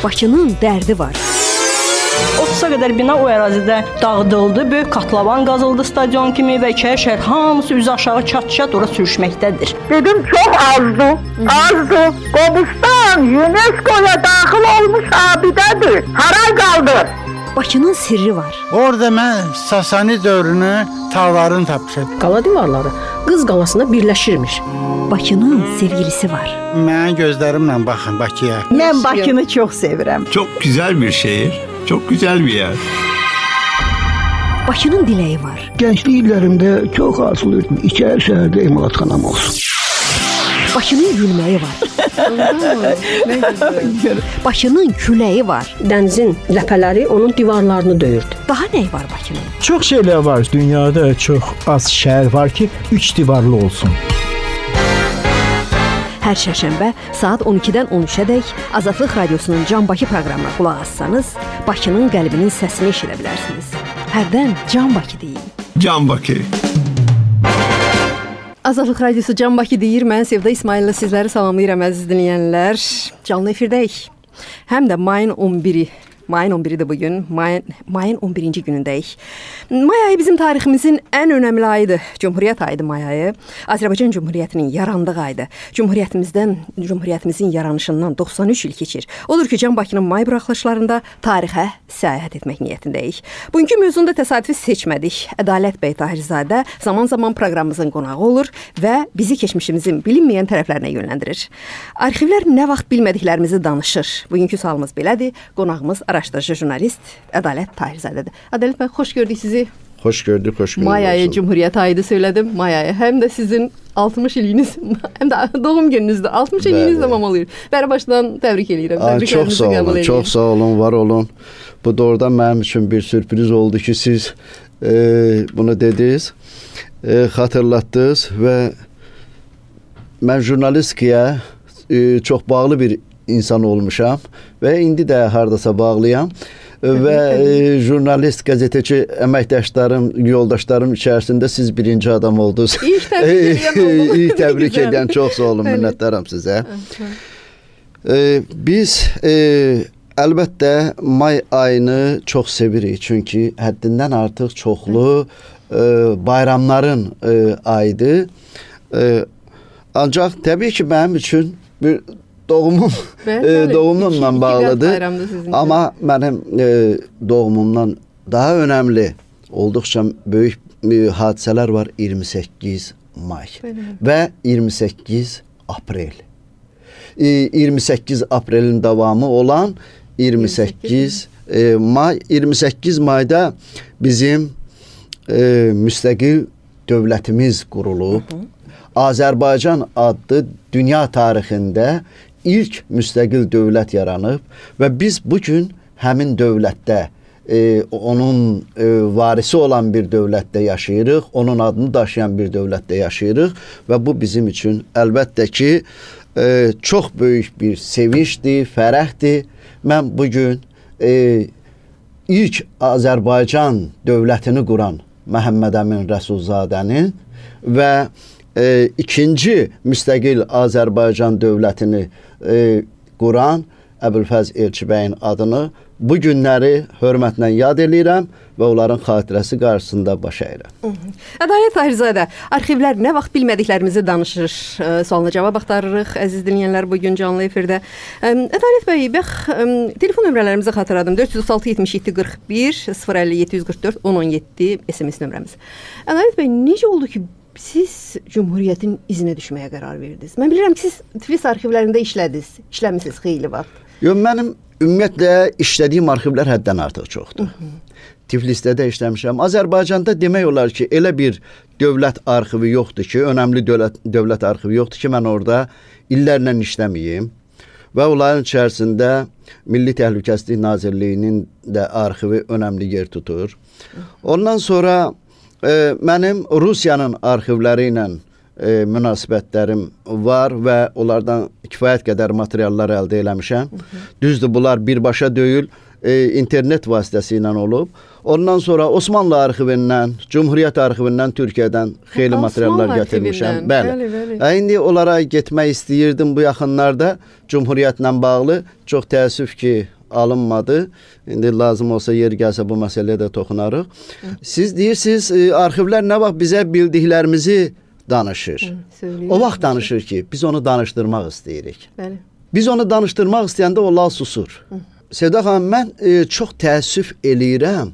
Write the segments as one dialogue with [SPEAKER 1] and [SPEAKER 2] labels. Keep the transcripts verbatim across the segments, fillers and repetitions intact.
[SPEAKER 1] Bakının dərdi var.
[SPEAKER 2] otuza qədər bina o ərazidə dağıdıldı. Böyük katlavan qazıldı stadion kimi və iki şəhər hamısı üzü aşağı çat-çat ora sürüşməkdədir.
[SPEAKER 3] Dedim çox azdır, azdır. Qobustan UNESCO-ya daxil olmuş abidədir. Haray qaldır.
[SPEAKER 1] Bakının sirri var.
[SPEAKER 4] Orada mən Sasani dövrünü tağlarını tapmışam.
[SPEAKER 5] Qala divarları Qız qalasında birləşirmiş.
[SPEAKER 1] Bakının sevgilisi var.
[SPEAKER 4] Mən gözlərimlə baxın Bakıya.
[SPEAKER 6] Mən Bakını çox sevirəm.
[SPEAKER 7] Çok güzel bir şehir, çok güzel bir yer.
[SPEAKER 1] Bakının diləyi var.
[SPEAKER 8] Gençlik illərimdə çox arzulayırdım. İçəri şəhərdə emalatxanam olsun.
[SPEAKER 1] Bakının gülməyi var. Bakının küləyi var.
[SPEAKER 5] Dənizin ləpələri onun divarlarını döyürdü.
[SPEAKER 1] Daha nə var Bakının?
[SPEAKER 9] Çox şeylər var. Dünyada çox az şəhər var ki, üç divarlı olsun.
[SPEAKER 1] Hər şərşənbə saat on ikidən on üçədək Azadlıq Radiosunun Can Bakı proqramına qulaq assanız, Bakının qəlbinin səsini eşidə bilərsiniz. Hərdən Can Bakı deyin.
[SPEAKER 7] Can Bakı.
[SPEAKER 1] Azadlıq Radiosu Can Bakı deyir. Mən Sevda İsmail'lə sizləri salamlayıram əziz dinləyənlər. Canlı efirdəyik. Həm də mayın on biri. Mayın on biridir bugün. Mayın, mayın on birinci günündəyik. May ayı bizim tariximizin ən önəmli ayıdır. Cumhuriyyət ayıdır may ayı. Azərbaycan Cumhuriyyətinin yarandığı ayıdır. Cumhuriyyətimizdən, Cumhuriyyətimizin yaranışından doxsan üç il keçir. Odur ki, Can Bakının may buraxılışlarında tarixə səyahət etmək niyyətindəyik. Bugünkü mövzunu da təsadüfi seçmədik. Ədalət bəy Tahirzadə zaman-zaman proqramımızın qonağı olur və bizi keçmişimizin bilinməyən tərəflərinə yönləndirir. Arxivlər nə vaxt bilmədiklərimizi danışır. Bugünkü sualımız belədir. Qonağımız araşdırıcı jurnalist Ədalət Tahirzadədir. Ədalət bəy, xoş gördük sizi.
[SPEAKER 10] Xoş gördük, xoş gördük.
[SPEAKER 1] May ayı Cumhuriyyət ayıdır söylədim. May ayı həm də sizin altmış iliniz, həm də doğum gününüzdür. altmış iliniz də mamalıyır. Bəri başdan təbrik edirəm.
[SPEAKER 10] Aa, çox sağ olun, çox sağ olun, var olun. Bu doğrudan mənim üçün bir sürpriz oldu ki, siz e, bunu dediniz, e, xatırlatdınız və mən jurnalistikaya e, çox bağlı bir insan olmuşam və indi də hardasa bağlıyam. Və e, jurnalist, qəzetəçi əməkdaşlarım, yoldaşlarım içərisində siz birinci adam oldunuz.
[SPEAKER 1] İlk təbrik edən
[SPEAKER 10] İlk təbrik edən, çox sağ olun, minnətdaram sizə. E, biz e, əlbəttə may ayını çox sevirik, çünki həddindən artıq çoxlu e, bayramların e, ayıdır. E, ancaq təbii ki, mənim üçün bir doğumum e, doğumumla bağlıdır. Amma mənim e, doğumumdan daha önəmli, olduqca böyük e, hadisələr var. iyirmi səkkiz may və iyirmi səkkiz aprel. E, iyirmi səkkiz aprelin davamı olan iyirmi səkkiz e, may. iyirmi səkkiz mayda bizim e, müstəqil dövlətimiz qurulub. Hı -hı. Azərbaycan adlı dünya tarixində ilk müstəqil dövlət yaranıb və biz bugün həmin dövlətdə e, onun e, varisi olan bir dövlətdə yaşayırıq, onun adını daşıyan bir dövlətdə yaşayırıq və bu bizim üçün əlbəttə ki e, çox böyük bir sevincdir, fərəhdir. Mən bugün e, ilk Azərbaycan dövlətini quran Məhəmməd Əmin Rəsulzadənin və e, ikinci müstəqil Azərbaycan dövlətini e, quran Əbülfəz Elçibəyin adını bu günləri hörmətlə yad edirəm və onların xatirəsi qarşısında baş əyirəm.
[SPEAKER 1] Ədalət Tahirzadə, arxivlər nə vaxt bilmədiklərimizi danışır, e, sualına cavab axtarırıq. Əziz dinləyənlər, bugün canlı efirdə. E, Ədalət bəy, bax, e, telefon nömrələrimizi xatırladım. dörd yüz otuz altı yetmiş yeddi qırx bir, sıfır əlli yeddi yüz qırx dörd on on yeddi S M S nömrəmiz. Ədalət bəy, necə oldu ki, siz Cumhuriyyətin izinə düşməyə qərar verdiniz? Mən bilirəm ki, siz Tiflis arxivlərində işlədiniz, işləmisiniz xeyli vaxt.
[SPEAKER 10] Yox, mənim ümumiyyətlə işlədiyim arxivlər həddən artıq çoxdur. Hı -hı. Tiflisdə də işləmişəm. Azərbaycanda demək olar ki, elə bir dövlət arxivi yoxdur ki, önəmli dövlət, dövlət arxivi yoxdur ki, mən orada illərlə işləməyim. Və onların içərisində Milli Təhlükəsizlik Nazirliyinin də arxivi önəmli yer tutur. Ondan sonra e, mənim Rusiyanın arxivləri ilə e, münasibətlərim var və onlardan kifayət qədər materiallar əldə eləmişəm. Hı -hı. Düzdür, bunlar birbaşa deyil, e, internet vasitəsilə olub. Ondan sonra Osmanlı arxivindən, Cumhuriyyət arxivindən Türkiyədən xeyli materiallar gətirmişəm. Bəli. bəli, bəli. İndi onlara getmək istəyirdim bu yaxınlarda. Cumhuriyyətlə bağlı çox təəssüf ki, alınmadı. İndi lazım olsa yer gəlsə bu məsələyə də toxunarıq. Hı. Siz deyirsiniz, arxivlər nə vaxt bizə bildiklərimizi danışır. Hı, o vaxt danışır ki, biz onu danışdırmaq istəyirik. Bəli. Biz onu danışdırmaq istəyəndə o lal susur. Hı. Sevda xanım, mən e, çox təəssüf eləyirəm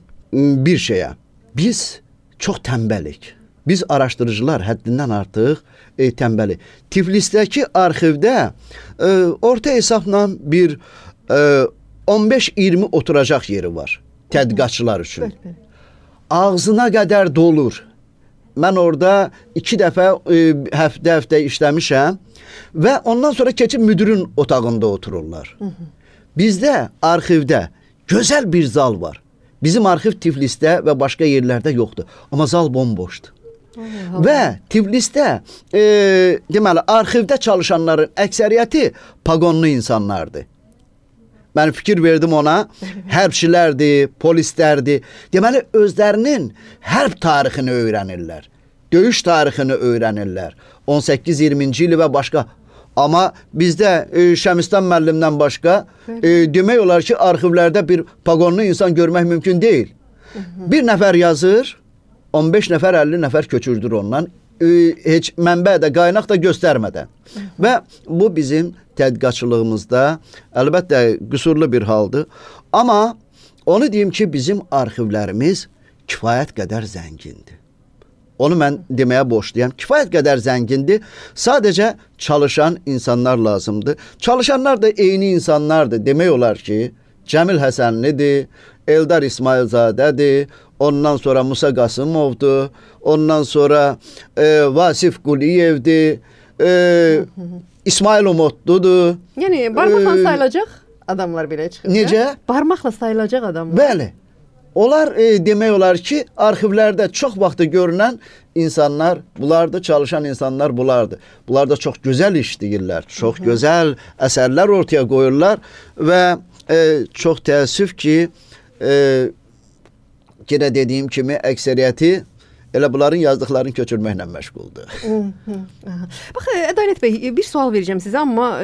[SPEAKER 10] bir şeyə. Biz çox tənbəlik. Biz araşdırıcılar həddindən artıq e, tənbəlik. Tiflisdəki arxivdə e, orta hesabla bir e, on beş iyirmi oturacaq yeri var tədqiqatçılar üçün. Bəli, bəli. Ağzına qədər dolur. Mən orada iki dəfə e, həftə-həftə işləmişəm və ondan sonra keçib müdirin otağında otururlar. Hı -hı. Bizdə arxivdə gözəl bir zal var. Bizim arxiv Tiflisdə və başqa yerlərdə yoxdur. Amma zal bomboşdur. Allah. Və Tiflisdə e, deməli arxivdə çalışanların əksəriyyəti paqonlu insanlardır. Mən fikir verdim ona, hərbçilərdir, polislərdir. Deməli, özlərinin hərb tarixini öyrənirlər. Döyüş tarixini öyrənirlər. on səkkiz iyirminci ili və başqa. Amma bizdə e, Şəmistan müəllimdən başqa e, demək olar ki, arxivlərdə bir paqonlu insan görmək mümkün deyil. Hı -hı. Bir nəfər yazır, on beş nəfər, əlli nəfər köçürdür ondan. E, heç mənbə də, qaynaq da göstərmədən. Hı -hı. Və bu bizim tədqiqatçılığımızda əlbəttə qüsurlu bir haldır. Amma onu deyim ki, bizim arxivlərimiz kifayət qədər zəngindir. Onu mən deməyə borçluyam. Kifayət qədər zəngindir. Sadəcə çalışan insanlar lazımdır. Çalışanlar da eyni insanlardır. Demək olar ki, Cəmil Həsənlidir, Eldar İsmailzadədir, ondan sonra Musa Qasımovdur, ondan sonra e, Vasif Quliyevdir, e, İsmail Umutludur.
[SPEAKER 1] Yəni barmaqla ee, sayılacaq adamlar belə çıxır.
[SPEAKER 10] Necə?
[SPEAKER 1] Barmaqla sayılacaq adamlar.
[SPEAKER 10] Bəli. Onlar e, demək olar ki, arxivlərdə çox vaxtı görünən insanlar bulardır, çalışan insanlar bulardır. Bunlar da çox gözəl iş deyirlər, çox Hı -hı. gözəl əsərlər ortaya qoyurlar və e, çox təəssüf ki, e, yenə dediyim kimi əksəriyyəti elə bunların yazdıqlarını köçürməklə məşğuldur.
[SPEAKER 1] Bax, Ədalət bəy, bir sual verəcəm sizə, amma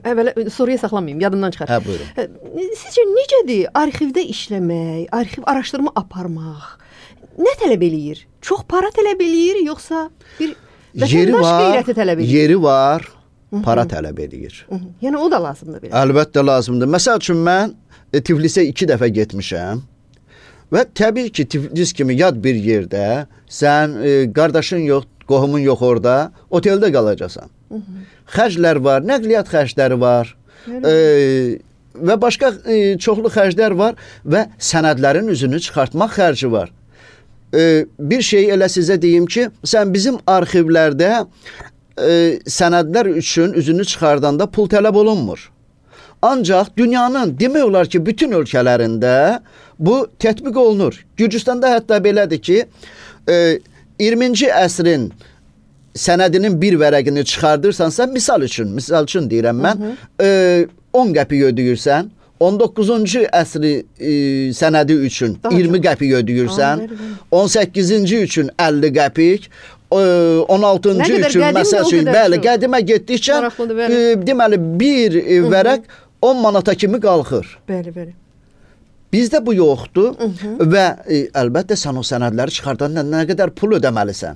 [SPEAKER 1] əvvəl soruya saxlamayım, yadımdan çıxar.
[SPEAKER 10] Hə, buyurun.
[SPEAKER 1] Sizcə necədir arxivdə işləmək, arxiv araşdırma aparmaq? Nə tələb eləyir? Çox para tələb eləyir, yoxsa bir vətəndaş qeyrəti tələb eləyir?
[SPEAKER 10] Yeri var, para tələb eləyir.
[SPEAKER 1] Yəni o da lazımdır belə.
[SPEAKER 10] Əlbəttə lazımdır. Məsəl üçün mən e, Tiflisə iki dəfə getmişəm. Və təbii ki, Tiflis kimi yad bir yerdə sən e, qardaşın yox, qohumun yox orada, oteldə qalacaqsan. Hı -hı. Xərclər var, nəqliyyat xərcləri var e, və başqa e, çoxlu xərclər var və sənədlərin üzünü çıxartmaq xərci var. E, bir şey elə sizə deyim ki, sən bizim arxivlərdə e, sənədlər üçün üzünü çıxardanda pul tələb olunmur. Ancaq dünyanın demək olar ki, bütün ölkələrində bu tətbiq olunur. Gürcüstanda hətta belədir ki, e, iyirminci əsrin sənədinin bir vərəqini çıxardırsansa, misal üçün, misal üçün deyirəm mən, hı -hı. E, on qəpik ödəyirsən, on doqquzuncu əsri e, sənədi üçün daha iyirmi qəpik ödəyirsən, on səkkizinci üçün əlli qəpik, on altıncı üçün məsəl üçün, bəli, qədimə getdikcə e, deməli bir e, vərəq on manata kimi qalxır.
[SPEAKER 1] Bəli, bəli.
[SPEAKER 10] Bizdə bu yoxdur Hı -hı. və e, əlbəttə sən o sənədləri çıxardanda nə qədər pul ödəməlisən.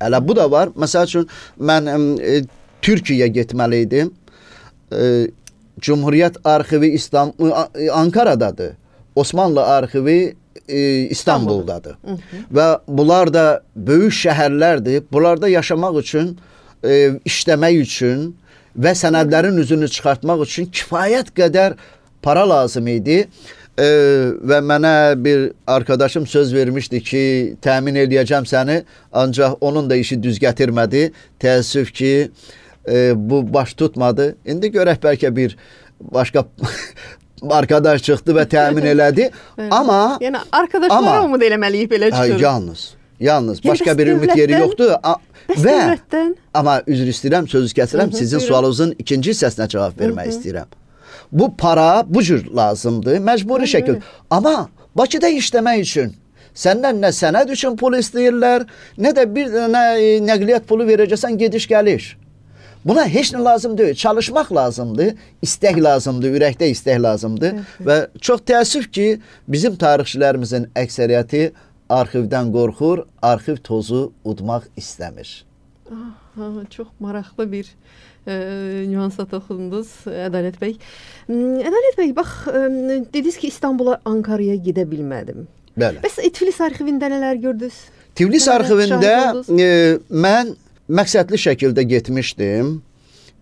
[SPEAKER 10] Hələ bu da var. Məsəl üçün mən e, Türkiyəyə getməli idim. E, Cumhuriyyət arxivi İstanbul, Ankara'dadır. Osmanlı arxivi e, İstanbul'dadır. Hı -hı. Və bunlar da böyük şəhərlərdir. Bunlarda yaşamaq üçün, e, işləmək üçün və sənədlərin üzünü çıxartmaq üçün kifayət qədər para lazım idi. Ee, və mənə bir arkadaşım söz vermişdi ki, təmin eləyəcəm səni, ancaq onun da işi düz gətirmədi. Təəssüf ki, e, bu baş tutmadı. İndi görək bəlkə bir başqa arkadaş çıxdı və təmin elədi. Amma
[SPEAKER 1] yəni arkadaşlara umud eləməliyik belə çıxır.
[SPEAKER 10] Yalnız, yalnız yəni, başqa bir ümid yeri yoxdur.
[SPEAKER 1] Bəs və dövlətdən?
[SPEAKER 10] Amma üzr istəyirəm, sözü kəsirəm. Sizin sualınızın ikinci hissəsinə cavab vermək istəyirəm. Bu para bu cür lazımdır, məcburi şəkil. Amma Bakıda işləmək üçün səndən nə sənəd üçün pul istəyirlər, nə də bir dənə nəqliyyat pulu verəcəksən gediş gəliş. Buna heç nə lazım deyil. Çalışmaq lazımdır, istək lazımdır, ürəkdə istək lazımdır. Evet. Və çox təəssüf ki, bizim tarixçilərimizin əksəriyyəti arxivdən qorxur, arxiv tozu udmaq istəmir.
[SPEAKER 1] Aha, çox maraqlı bir e, nüansa toxundunuz Ədalət bəy. Ədalət bəy, bax, e, dediniz ki, İstanbula, Ankara'ya gedə bilmədim.
[SPEAKER 10] Bəli.
[SPEAKER 1] Bəs Tiflis arxivində nələr gördünüz?
[SPEAKER 10] Tiflis arxivində e, mən məqsədli şəkildə getmişdim.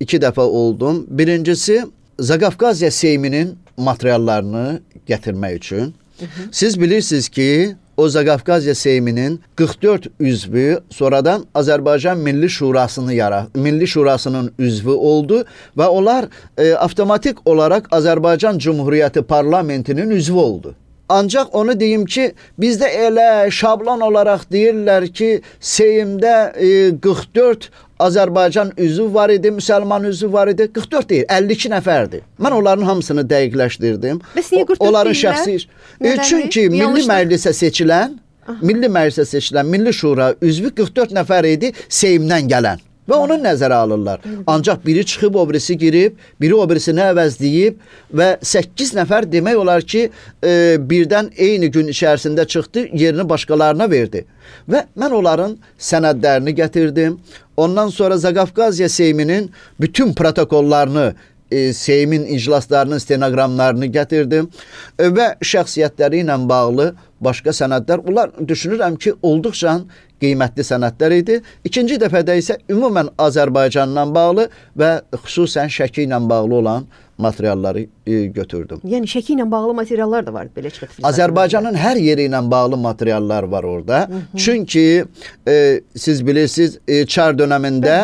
[SPEAKER 10] İki dəfə oldum. Birincisi, Zaqafqaziya Seyminin materiallarını gətirmək üçün. Hı -hı. Siz bilirsiniz ki, o Zaqafqaziya Seyminin qırx dörd üzvü sonradan Azərbaycan Milli Şurasını yara, Milli Şurasının üzvü oldu və onlar e, avtomatik olaraq Azərbaycan Cumhuriyyəti parlamentinin üzvü oldu. Ancaq onu deyim ki, bizdə elə şablon olaraq deyirlər ki, Seymdə e, qırx dörd Azərbaycan üzvü var idi, müsəlman üzvü var idi. qırx dörd deyil, əlli iki nəfərdir. Mən onların hamısını dəqiqləşdirdim.
[SPEAKER 1] Bəs niyə qırx dörd
[SPEAKER 10] onların
[SPEAKER 1] deyirlər?
[SPEAKER 10] şəxsi e, çünki Milli Məclisə seçilən, Aha. Milli Məclisə seçilən Milli Şura üzvü qırx dörd nəfər idi Seymdən gələn. Və onu nəzərə alırlar. Ancaq biri çıxıb, o birisi girib, biri o birisini əvəzləyib və səkkiz nəfər demək olar ki, e, birdən eyni gün içərisində çıxdı, yerini başqalarına verdi. Və mən onların sənədlərini gətirdim. Ondan sonra Zaqafqaziya Seyminin bütün protokollarını, e, Seymin iclaslarının stenoqramlarını gətirdim e, və şəxsiyyətləri ilə bağlı başqa sənədlər. Bunlar düşünürəm ki, olduqca qiymətli sənədlər idi. İkinci dəfədə isə ümumən Azərbaycanla bağlı və xüsusən Şəki ilə bağlı olan materialları e, götürdüm.
[SPEAKER 1] Yəni Şəki ilə bağlı materiallar da var belə çıxıb.
[SPEAKER 10] Azərbaycanın hər yeri ilə bağlı materiallar var orada. Hı -hı. Çünki e, siz bilirsiniz, e, Çar dövründə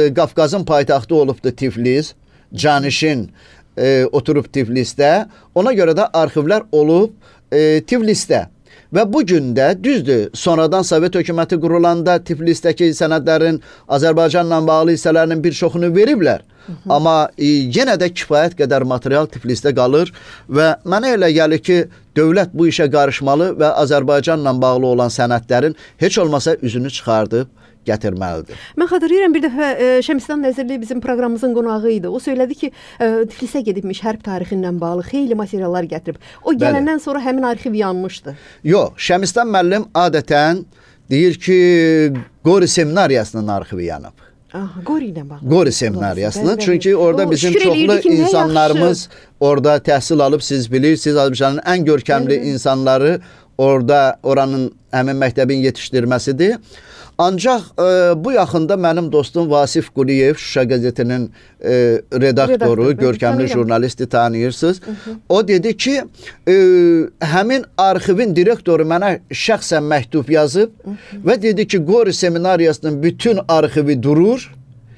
[SPEAKER 10] e, Qafqazın paytaxtı olubdu Tiflis. Canişin e, oturub Tiflisdə. Ona görə də arxivlər olub e, Tiflisdə. Və bu gün də düzdür, sonradan Sovet hökuməti qurulanda Tiflisdəki sənədlərin Azərbaycanla bağlı hissələrinin bir çoxunu veriblər. Hı -hı. Amma e, yenə də kifayət qədər material Tiflisdə qalır və mənə elə gəlir ki, dövlət bu işə qarışmalı və Azərbaycanla bağlı olan sənədlərin heç olmasa üzünü çıxardıb gətirməlidir.
[SPEAKER 1] Mən xatırlayıram, bir dəfə e, Şəmistan Nəzirli bizim proqramımızın qonağı idi. O söylədi ki, e, Tiflisə gedibmiş, hərb tarixi ilə bağlı xeyli materiallar gətirib. O gələndən Bəli. sonra həmin arxiv yanmışdı.
[SPEAKER 10] Yox, Şəmistan müəllim adətən deyir ki, Qori seminariyasının arxivi yanıb.
[SPEAKER 1] Aha, Qori ilə bağlı.
[SPEAKER 10] Qori seminariyasının. Çünki orada o, bizim çoxlu ki, insanlarımız orada təhsil alıb, siz bilirsiniz, Azərbaycanın ən görkəmli Bəli. insanları orada oranın həmin məktəbin yetişdirməsidir. Ancaq e, bu yaxında mənim dostum Vasif Quliyev, Şuşa qəzetinin e, redaktoru, Redaktor, görkəmli jurnalisti tanıyırsınız. Hı -hı. O dedi ki, e, həmin arxivin direktoru mənə şəxsən məktub yazıb Hı -hı. və dedi ki, Qori seminariyasının bütün arxivi durur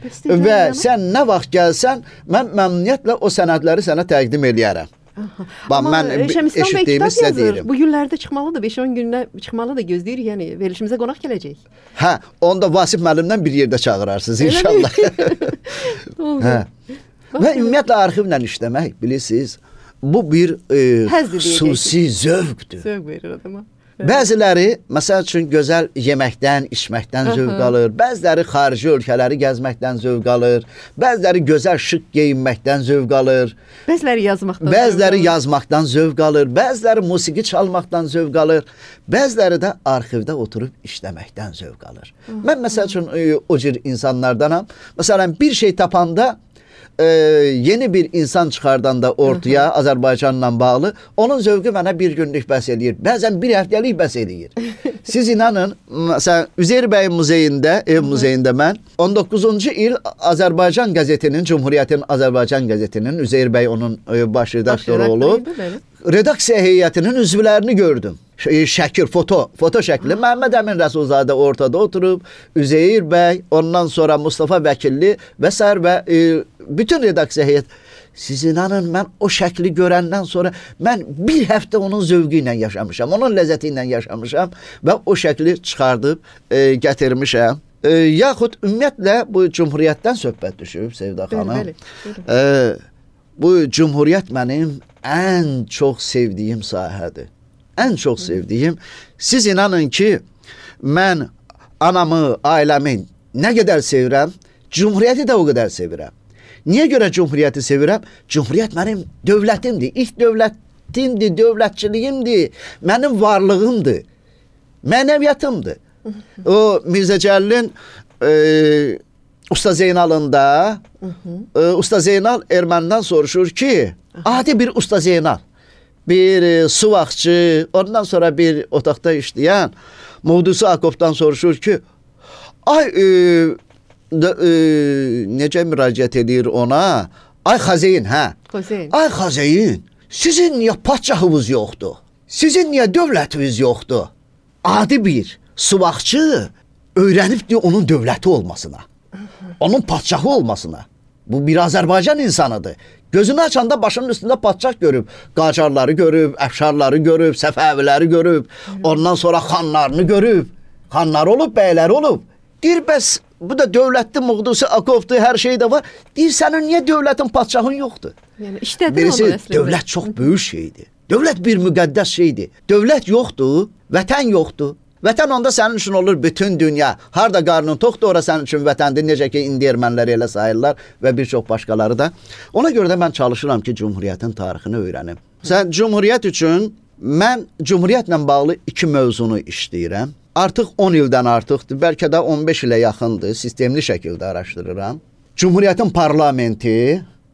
[SPEAKER 10] Bəs və yana? sən nə vaxt gəlsən, mən məmnuniyyətlə o sənədləri sənə təqdim eləyərəm. Bax, mən eşitdiyimi sizə deyirəm.
[SPEAKER 1] Bu günlərdə çıxmalıdır, beş on gündə çıxmalıdır, gözləyirik, yəni verilişimizə qonaq gələcək.
[SPEAKER 10] Hə, onu da Vasif müəllimdən bir yerdə çağırarsınız inşallah. Hə. Və ümumiyyətlə arxivlə işləmək, bilirsiniz, bu bir e, xüsusi zövqdür.
[SPEAKER 1] Zövq verir adama.
[SPEAKER 10] Bəziləri, məsəl üçün, gözəl yeməkdən, içməkdən zövq alır. Bəziləri xarici ölkələri gəzməkdən zövq alır. Bəziləri gözəl şıq geyinməkdən zövq alır.
[SPEAKER 1] Bəziləri yazmaqdan
[SPEAKER 10] Bəziləri yazmaqdan zövq alır. Bəziləri musiqi çalmaqdan zövq alır. Bəziləri də arxivdə oturub işləməkdən zövq alır. Mən məsəl üçün o cür insanlardanam. Məsələn, bir şey tapanda Ee, yeni bir insan çıxardanda ortaya Hı -hı. Azərbaycanla bağlı, onun zövqü mənə bir günlük bəs eləyir. Bəzən bir həftəlik bəs eləyir. Siz inanın, məsələn, Üzeyir bəy muzeyində, ev muzeyində mən on doqquzuncu il Azərbaycan qəzetinin, Cumhuriyyətin Azərbaycan qəzetinin, Üzeyir bəy onun baş redaktoru olub, redaksiya heyətinin üzvlərini gördüm. Şəkil, foto, foto şəkli. Məhəmməd Əmin Rəsulzadə ortada oturub, Üzeyir bəy, ondan sonra Mustafa Vəkilli və s. və e, bütün redaksiya heyət. Siz inanın, mən o şəkli görəndən sonra mən bir həftə onun zövqü ilə yaşamışam, onun ləzzəti ilə yaşamışam və o şəkli çıxardıb e, gətirmişəm. E, yaxud ümumiyyətlə bu Cumhuriyyətdən söhbət düşüb, Sevda xanım. Bəli, bəli. E, bu Cumhuriyyət mənim ən çox sevdiyim sahədir. ən çox sevdiyim. Siz inanın ki, mən anamı, ailəmi nə qədər sevirəm, Cumhuriyyəti də o qədər sevirəm. Niyə görə Cumhuriyyəti sevirəm? Cumhuriyyət mənim dövlətimdir, ilk dövlətimdir, dövlətçiliyimdir, mənim varlığımdır, mənəviyyatımdır. O Mirzə Cəlilin e, Usta Zeynalında e, Usta Zeynal ermənidən soruşur ki, adi bir Usta Zeynal, bir e, suvaqçı, ondan sonra bir otaqda işləyən Mevdusi Akop'dan soruşur ki, ay e, de, e, necə müraciət edir ona? Ay Xazeyn, hə?
[SPEAKER 1] Xazeyn.
[SPEAKER 10] Ay Xazeyn, sizin niyə padşahınız yoxdur? Sizin niyə dövlətiniz yoxdur? Adi bir suvaqçı öyrənibdir onun dövləti olmasına, onun padşahı olmasına. Bu bir Azərbaycan insanıdır. Gözünü açanda başının üstündə padşah görüb, qacarları görüb, əfşarları görüb, səfəviləri görüb, ondan sonra xanlarını görüb, xanlar olub, bəylər olub. Deyir, bəs bu da dövlətli Mevdusi Akop'dur, hər şey də var. Deyir, sənin niyə dövlətin, padşahın yoxdur?
[SPEAKER 1] Yəni işlədir
[SPEAKER 10] Birisi,
[SPEAKER 1] onu əslində.
[SPEAKER 10] dövlət çox böyük şeydir. Dövlət bir müqəddəs şeydir. Dövlət yoxdur, vətən yoxdur. Vətən onda sənin üçün olur bütün dünya. Harda qarnın toxdur, ora sənin üçün vətəndir. Necə ki, indi ermənləri elə sayırlar və bir çox başqaları da. Ona görə də mən çalışıram ki, Cumhuriyyətin tarixini öyrənim. Sən Cumhuriyyət üçün, mən Cumhuriyyətlə bağlı iki mövzunu işləyirəm. Artıq on ildən artıqdır, bəlkə də on beş ilə yaxındır, sistemli şəkildə araşdırıram. Cumhuriyyətin parlamenti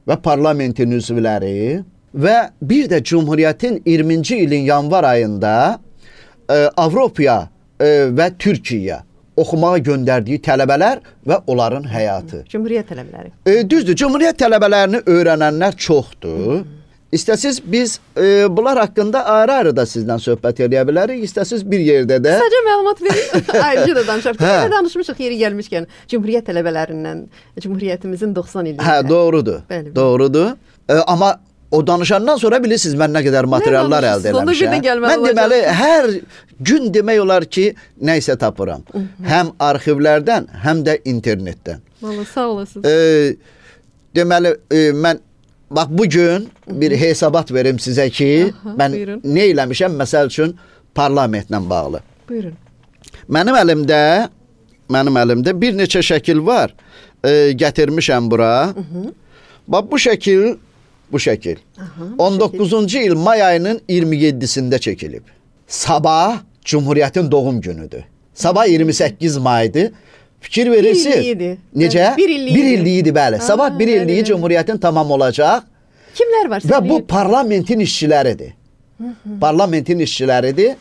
[SPEAKER 10] və parlamentin üzvləri və bir də Cumhuriyyətin iyirminci ilin yanvar ayında e, Avropaya e, və Türkiyəyə oxumağa göndərdiyi tələbələr və onların həyatı.
[SPEAKER 1] Cumhuriyyət tələbələri.
[SPEAKER 10] E, düzdür, Cumhuriyyət tələbələrini öyrənənlər çoxdur. İstəsiz biz e, bunlar haqqında ayrı-ayrı da sizdən söhbət edə bilərik. İstəsiz bir yerdə də.
[SPEAKER 1] Sadəcə məlumat verin. Ayrıca da danışaq. Hə. Danışmışıq yeri gəlmişkən Cumhuriyyət tələbələrindən Cumhuriyyətimizin doxsan ilində.
[SPEAKER 10] Hə, doğrudur. Bəli, bəli. Doğrudur. E, amma o danışandan sonra bilirsiniz mən nə qədər materiallar əldə eləmişəm. Mən deməli hər gün demək olar ki, nə isə tapıram. Hı -hı. Həm arxivlərdən, həm də internetdən.
[SPEAKER 1] Vallahi sağ olasınız.
[SPEAKER 10] E, deməli e, mən bax bugün bir hesabat verim sizə ki, aha, mən buyurun. Nə eləmişəm məsəl üçün parlamentlə bağlı.
[SPEAKER 1] Buyurun.
[SPEAKER 10] Mənim əlimdə mənim əlimdə bir neçə şəkil var. E, gətirmişəm bura. Hı -hı. Bax bu şəkil bu şəkil. Aha, bu on doqquzuncu şəkil. il may ayının iyirmi yeddisində çəkilib. Sabah Cumhuriyyətin doğum günüdür. Sabah iyirmi səkkiz maydır. Fikir verirsin. Bir illiydi. Necə?
[SPEAKER 1] Bir illiydi.
[SPEAKER 10] Bir illiydi, bəli. Sabah bir illiyi bəli, Cumhuriyyətin tamam olacaq.
[SPEAKER 1] Kimlər var?
[SPEAKER 10] Və bu parlamentin işçiləridir. Hı -hı. Parlamentin işçiləridir.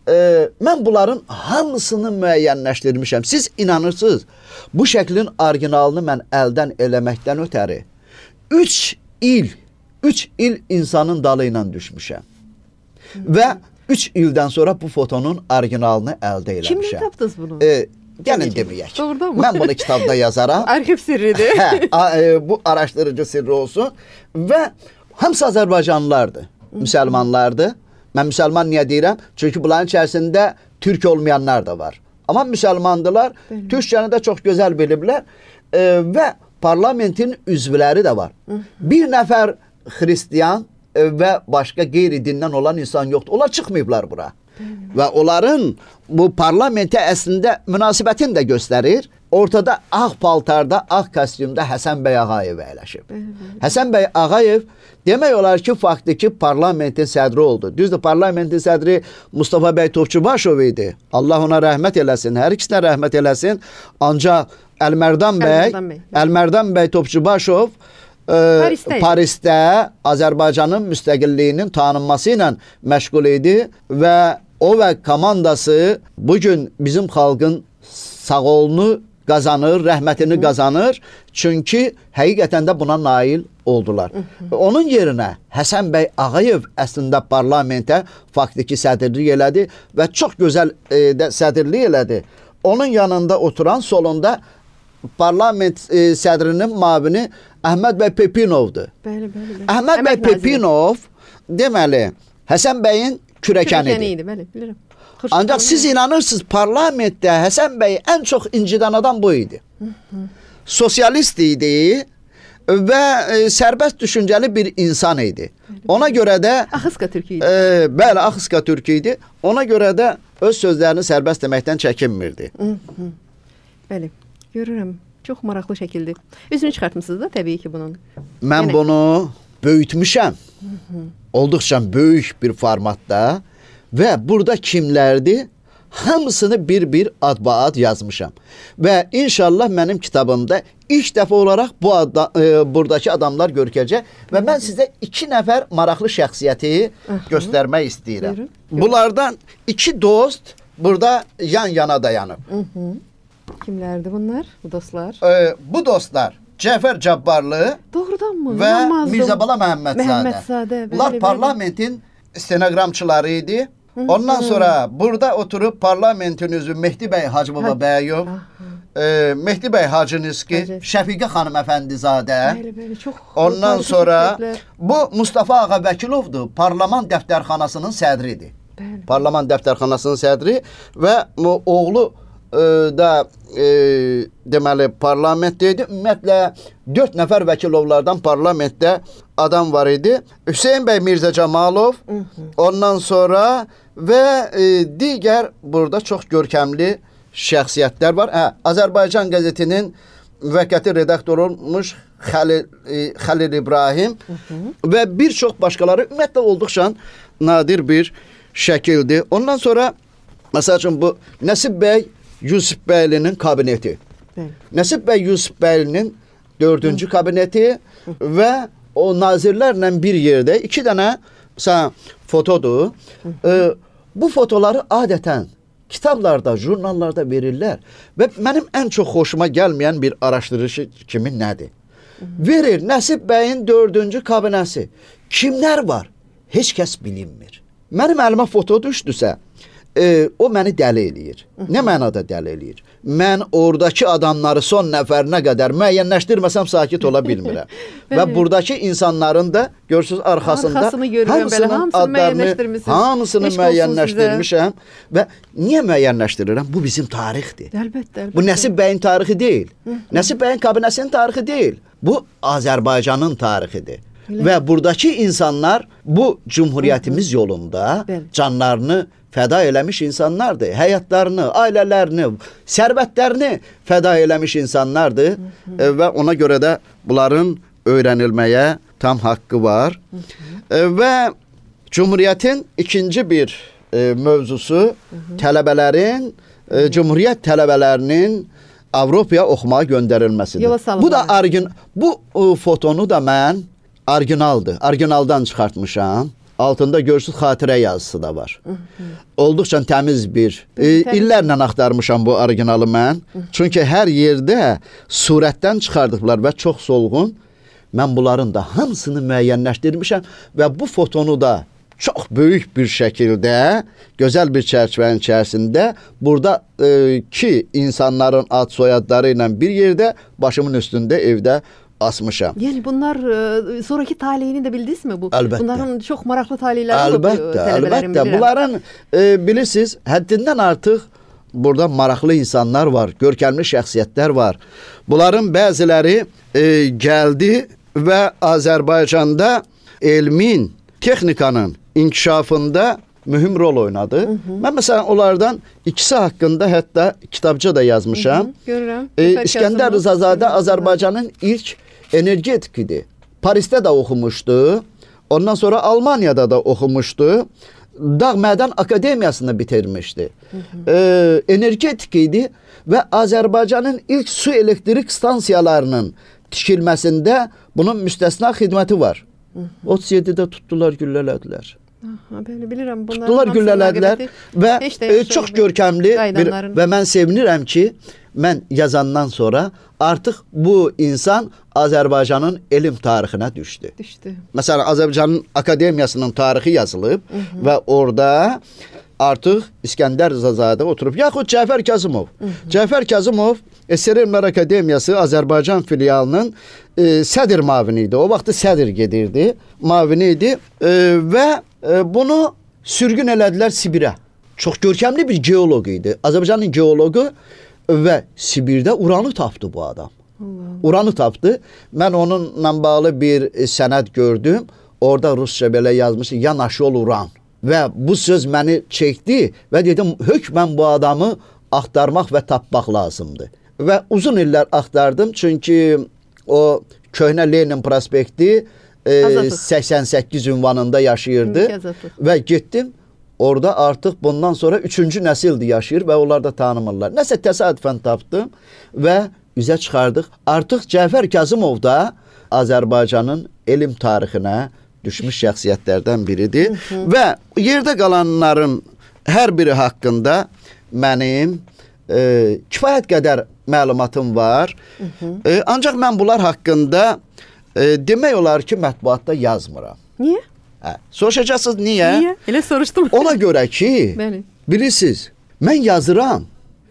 [SPEAKER 10] Ee, mən bunların hamısını müəyyənləşdirmişəm. Siz inanırsınız, bu şəklin orijinalını mən əldən eləməkdən ötəri üç il, üç il insanın dalı ilə düşmüşəm. Hı -hı. Və üç ildən sonra bu fotonun orijinalını əldə eləmişəm.
[SPEAKER 1] Kimdən tapdınız bunu?
[SPEAKER 10] Ee, Gəlin deməyək. Mən bunu kitabda yazaram.
[SPEAKER 1] Arxiv sirridir.
[SPEAKER 10] Hə, a, e, bu araşdırıcı sirri olsun. Və hamısı Azərbaycanlılardır, müsəlmanlardır. Mən müsəlman niyə deyirəm? Çünki bunların içərisində türk olmayanlar da var. Amma müsəlmandılar. Türkçəni də çox gözəl biliblər. E, və parlamentin üzvləri də var. Hı -hı. Bir nəfər xristiyan e, və başqa qeyri-dindən olan insan yoxdur. Onlar çıxmayıblar bura. Və onların bu parlamentə əslində münasibətini də göstərir. Ortada ağ paltarda, ağ kostyumda Həsən bəy Ağayev əyləşib. Həsən bəy Ağayev demək olar ki, faktiki parlamentin sədri oldu. Düzdür, parlamentin sədri Mustafa bəy Topçubaşov idi. Allah ona rəhmət eləsin, hər ikisinə rəhmət eləsin. Ancaq Əlmərdan bəy, Əlmərdan bəy Topçubaşov Parisdə, Parisdə Azərbaycanın müstəqilliyinin tanınması ilə məşğul idi və o və komandası bugün bizim xalqın sağolunu qazanır, rəhmətini qazanır. Çünki həqiqətən də buna nail oldular. Onun yerinə Həsən bəy Ağayev əslində parlamentə faktiki sədrlik elədi və çox gözəl e, də sədrlik elədi. Onun yanında oturan solunda parlament e, sədrinin müavini Əhməd bəy Pepinovdur. Bəli, bəli, bəli. Əhməd bəy Pepinov deməli Həsən bəyin kürəkənidir. Kürəkəniydi, bəli, bilirəm. Ancaq siz inanırsınız, parlamentdə Həsən bəy ən çox incidən adam bu idi. Hı -hı. Sosialist idi və e, sərbəst düşüncəli bir insan idi. Ona görə də
[SPEAKER 1] Axıska türkü idi.
[SPEAKER 10] E, bəli, Axıska türkü idi. Ona görə də öz sözlərini sərbəst deməkdən çəkinmirdi.
[SPEAKER 1] Hı -hı. Bəli, görürəm. Çox maraqlı şəkildir. Üzünü çıxartmısınız da təbii ki bunun.
[SPEAKER 10] Mən yəni... bunu böyütmüşəm. Hı -hı. Olduqca böyük bir formatda və burada kimlərdir? Hamısını bir-bir adba-ad yazmışam. Və inşallah mənim kitabımda ilk dəfə olaraq bu adda, e, buradakı adamlar görkəcək və mən sizə iki nəfər maraqlı şəxsiyyəti Hı -hı. göstərmək istəyirəm. Buyurun. Bunlardan iki dost burada yan-yana dayanıb.
[SPEAKER 1] Hı -hı. Kimlərdir bunlar? Bu dostlar?
[SPEAKER 10] E, bu dostlar Cəfər Cabbarlı
[SPEAKER 1] Doğrudan mı?
[SPEAKER 10] və
[SPEAKER 1] İnanmazdım.
[SPEAKER 10] Mirzəbala Məhəmmədzadə.
[SPEAKER 1] Məhəmmədzadə.
[SPEAKER 10] Bunlar parlamentin stenoqramçıları idi. Ondan sonra burada oturup parlamentin üzvü Mehdi bəy Hacıbaba Bəyov, e, Mehdi bəy Hacıniski, Şəfiqə xanım Əfəndizadə.
[SPEAKER 1] Bəli, bəli, çox.
[SPEAKER 10] Ondan sonra bu Mustafa Ağa Vəkilovdur, parlament dəftərxanasının sədridir. Bəli. Parlament dəftərxanasının sədri və oğlu e, da e, deməli parlamentdə idi. Ümumiyyətlə dörd nəfər Vəkilovlardan parlamentdə adam var idi. Hüseyn bəy Mirzə Camalov, hı -hı. Ondan sonra və e, digər burada çox görkəmli şəxsiyyətlər var. Hə, Azərbaycan qəzetinin müvəqqəti redaktoru olmuş Xəlil, e, Xəlil İbrahim hı -hı. və bir çox başqaları ümumiyyətlə olduqca nadir bir şəkildir. Ondan sonra məsəl üçün bu Nəsib bəy Yusifbəylinin kabineti. Hı. Nəsib bəy Yusifbəylinin dördüncü Hı. kabineti Hı. və o nazirlərlə bir yerdə iki dənə məsələn fotodur. Ee, bu fotoları adətən kitablarda, jurnallarda verirlər və mənim ən çox xoşuma gəlməyən bir araşdırıcı kimi nədir? Verir Nəsib bəyin dördüncü kabinəsi. Kimlər var? Heç kəs bilinmir. Mənim əlimə foto düşdüsə, e, o məni dəli eləyir. Nə mənada dəli eləyir? Mən oradakı adamları son nəfərinə qədər müəyyənləşdirməsəm sakit ola bilmirəm. Və buradakı insanların da görürsünüz arxasında
[SPEAKER 1] Arxasını görürəm,
[SPEAKER 10] hamısının
[SPEAKER 1] belə, hamısını
[SPEAKER 10] adlarını,
[SPEAKER 1] müəyyənləşdirmisiniz.
[SPEAKER 10] hamısını müəyyənləşdirmişəm və niyə müəyyənləşdirirəm? Bu bizim tarixdir.
[SPEAKER 1] Əlbəttə, əlbəttə.
[SPEAKER 10] Bu Nəsib bəyin tarixi deyil. Nəsib bəyin kabinəsinin tarixi deyil. Bu Azərbaycanın tarixidir. Elə. Və buradakı insanlar bu cumhuriyyətimiz yolunda canlarını fəda eləmiş insanlardır. Həyatlarını, ailələrini, sərvətlərini fəda eləmiş insanlardır. Hı -hı. E, və ona görə də bunların öyrənilməyə tam haqqı var. Hı -hı. E, və Cumhuriyyətin ikinci bir e, mövzusu Hı -hı. tələbələrin, e, Cumhuriyyət tələbələrinin Avropaya oxumağa göndərilməsidir. Bu da argin, bu e, fotonu da mən orijinaldır. Orijinaldan çıxartmışam. Altında görürsüz xatirə yazısı da var. Hı -hı. Olduqca təmiz bir. E, illərlə axtarmışam bu originalı mən. Hı -hı. Çünki hər yerdə surətdən çıxardıblar və çox solğun. Mən bunların da hamısını müəyyənləşdirmişəm və bu fotonu da çox böyük bir şəkildə, gözəl bir çərçivənin içərisində burada e, ki insanların ad soyadları ilə bir yerdə başımın üstündə evdə asmışam.
[SPEAKER 1] Yəni bunlar e, sonraki taleyini də bildiniz mi bu?
[SPEAKER 10] Əlbəttə.
[SPEAKER 1] Bunların çox maraqlı taleyləri olub.
[SPEAKER 10] Əlbəttə, əlbəttə. Bunların e, bilirsiniz, həddindən artıq burada maraqlı insanlar var, görkəmli şəxsiyyətlər var. Bunların bəziləri e, gəldi və Azərbaycanda elmin, texnikanın inkişafında mühüm rol oynadı. Hı -hı. Mən məsələn onlardan ikisi haqqında hətta kitabça da yazmışam. Hı -hı.
[SPEAKER 1] Görürəm.
[SPEAKER 10] E, İskəndər Rızazadə Azərbaycanın ilk energetikidir. Parisdə də oxumuşdu. Ondan sonra Almaniyada da oxumuşdu. Dağ Mədən Akademiyasını bitirmişdi. Hı -hı. E, energetik idi və Azərbaycanın ilk su elektrik stansiyalarının tikilməsində bunun müstəsna xidməti var. Hı -hı. otuz yeddidə tutdular, güllələdilər.
[SPEAKER 1] Aha, belə bilirəm.
[SPEAKER 10] Tutdular, güllələdilər və e, çox görkəmli bir, və mən sevinirəm ki, mən yazandan sonra artıq bu insan Azərbaycanın elm tarixinə düşdü.
[SPEAKER 1] Düşdü.
[SPEAKER 10] Məsələn, Azərbaycanın Akademiyasının tarixi yazılıb Hı -hı. və orada artıq İskəndər Rızazadə oturub, yaxud Cəfər Kazımov. Hı -hı. Cəfər Kazımov S R Elmlər Akademiyası Azərbaycan filialının e, sədr mavini idi. O vaxtı sədr gedirdi, mavini idi e, və e, bunu sürgün elədilər Sibirə. Çox görkəmli bir geoloq idi. Azərbaycanın geoloqu və Sibirdə uranı tapdı bu adam. Uranı tapdı. Mən onunla bağlı bir sənəd gördüm. Orada rusca belə yazmış, yanaşol uran. Və bu söz məni çəkdi və dedim, hökmən bu adamı axtarmaq və tapmaq lazımdır. Və uzun illər axtardım, çünki o köhnə Lenin prospekti e, səksən səkkiz ünvanında yaşayırdı. Və getdim, orada artıq bundan sonra üçüncü nəsildir yaşayır və onlar da tanımırlar. Nəsə təsadüfən tapdım və üzə çıxardıq. Artıq Cəfər Kazımov da Azərbaycanın elm tarixinə düşmüş şəxsiyyətlərdən biridir. Hı -hı. Və yerdə qalanların hər biri haqqında mənim e, kifayət qədər məlumatım var. Hı -hı. E, ancaq mən bunlar haqqında e, demək olar ki, mətbuatda yazmıram.
[SPEAKER 1] Niyə?
[SPEAKER 10] Hə, soruşacaqsınız niyə?
[SPEAKER 1] Niyə? Elə soruşdum.
[SPEAKER 10] Ona görə ki,
[SPEAKER 1] Bəli.
[SPEAKER 10] bilirsiniz, mən yazıram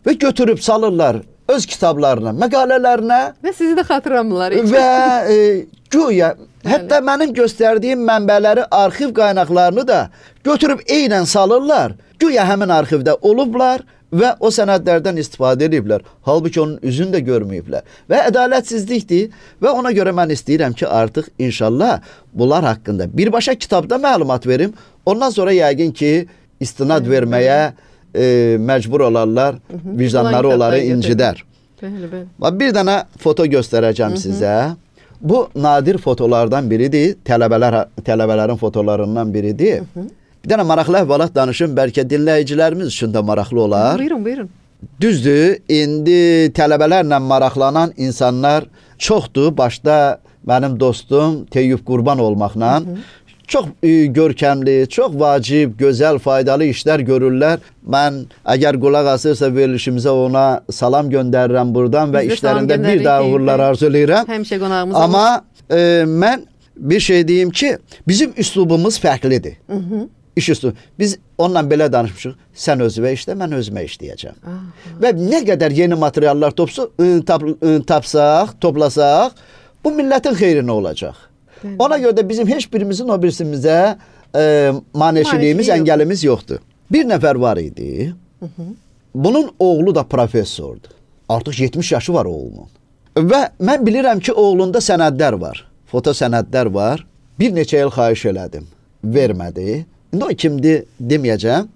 [SPEAKER 10] və götürüb salırlar öz kitablarına, məqalələrinə
[SPEAKER 1] və sizi də xatırlamırlar.
[SPEAKER 10] Və e, güya hətta mənim göstərdiyim mənbələri, arxiv qaynaqlarını da götürüb eynən salırlar. Güya həmin arxivdə olublar və o sənədlərdən istifadə ediblər. Halbuki onun üzünü də görməyiblər. Və ədalətsizlikdir və ona görə mən istəyirəm ki, artıq inşallah bunlar haqqında birbaşa kitabda məlumat verim. Ondan sonra yəqin ki, istinad verməyə e, məcbur olarlar, vicdanları onları incidər.
[SPEAKER 1] Bəli, bəli.
[SPEAKER 10] Bir dənə foto göstərəcəm sizə. Bu nadir fotolardan biridir. Tələbələr, tələbələrin fotolarından biridir. Hı -hı. Bir dənə maraqlı əhvalat danışım. Bəlkə dinləyicilərimiz üçün də maraqlı olar.
[SPEAKER 1] Buyurun, buyurun.
[SPEAKER 10] Düzdür, indi tələbələrlə maraqlanan insanlar çoxdur. Başda mənim dostum Teyyub Qurban olmaqla. Hı -hı. Çox e, görkəmli, çox vacib, gözəl, faydalı işlər görürlər. Mən əgər qulaq asırsa verilişimizə ona salam göndərirəm buradan və işlərində bir daha uğurlar arzu edirəm.
[SPEAKER 1] Həmişə qonağımız
[SPEAKER 10] Amma e, mən bir şey deyim ki, bizim üslubumuz fərqlidir. Hı -hı. İş üslubu. Biz onunla belə danışmışıq. Sən özünə işlə, mən özümə işləyəcəm. Aha. Və nə qədər yeni materiallar topsa, e, tap, e, tapsaq, toplasaq, bu millətin xeyrinə olacaq. Bəli. Ona görə də bizim heç birimizin o birisimizə e, maneçiliyimiz, əngəlimiz yoxdur. Bir nəfər var idi. Hı -hı. Bunun oğlu da professordur. Artıq yetmiş yaşı var oğlunun. Və mən bilirəm ki, oğlunda sənədlər var. Foto sənədlər var. Bir neçə il xahiş elədim. Vermədi. İndi o kimdir deməyəcəm.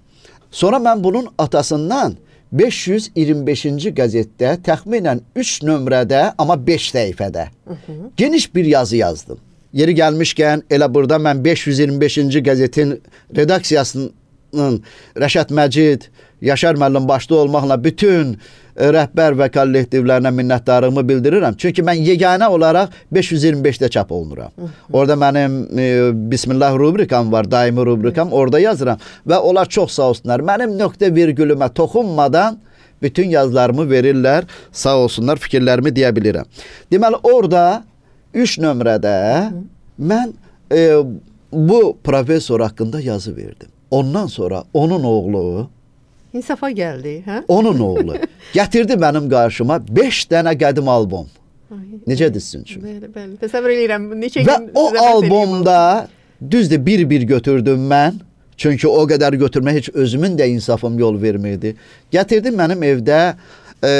[SPEAKER 10] Sonra mən bunun atasından beş yüz iyirmi beşinci qəzetdə təxminən üç nömrədə, amma beş səhifədə hı -hı. geniş bir yazı yazdım. Yeri gəlmişkən elə burada mən beş yüz iyirmi beşinci qəzetin redaksiyasının Rəşad Məcid, Yaşar müəllim başda olmaqla bütün rəhbər və kollektivlərinə minnətdarlığımı bildirirəm. Çünki mən yeganə olaraq beş yüz iyirmi beşdə çap olunuram. Hı -hı. Orada mənim e, Bismillah rubrikam var, daimi rubrikam, orada yazıram və onlar çox sağ olsunlar. Mənim nöqtə virgülümə toxunmadan bütün yazılarımı verirlər. Sağ olsunlar, fikirlərimi deyə bilirəm. Deməli orada üç nömrədə mən e, bu professor haqqında yazı verdim. Ondan sonra onun oğlu
[SPEAKER 1] İnsafa gəldi, hə?
[SPEAKER 10] Onun oğlu gətirdi mənim qarşıma beş dənə qədim albom. Ay, necədir sizin üçün?
[SPEAKER 1] Bəli, bəli. Təsəvvür edirəm. Neçə
[SPEAKER 10] Və gün o albomda düzdür bir-bir götürdüm mən. Çünki o qədər götürmə heç özümün də insafım yol vermirdi. Gətirdim mənim evdə e,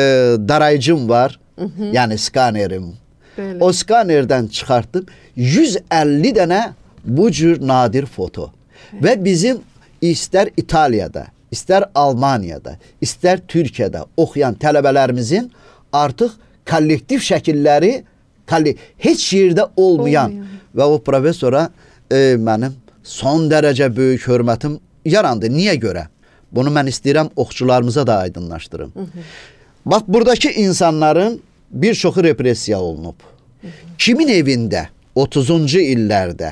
[SPEAKER 10] darayıcım var. Hı -hı. Yəni skanerim. Bəli. O skanerdən çıxartdım yüz əlli dənə bu cür nadir foto. Bəli. Və bizim istər İtaliyada, istər Almaniyada, istər Türkiyədə oxuyan tələbələrimizin artıq kollektiv şəkilləri heç yerdə olmayan Olmuyor. Və o professora e, mənim son dərəcə böyük hörmətim yarandı. Niyə görə? Bunu mən istəyirəm oxucularımıza da aydınlaşdırım. Hı -hı. Bax, buradakı insanların bir çoxu repressiya olunub. Hı -hı. Kimin evində otuzuncu illərdə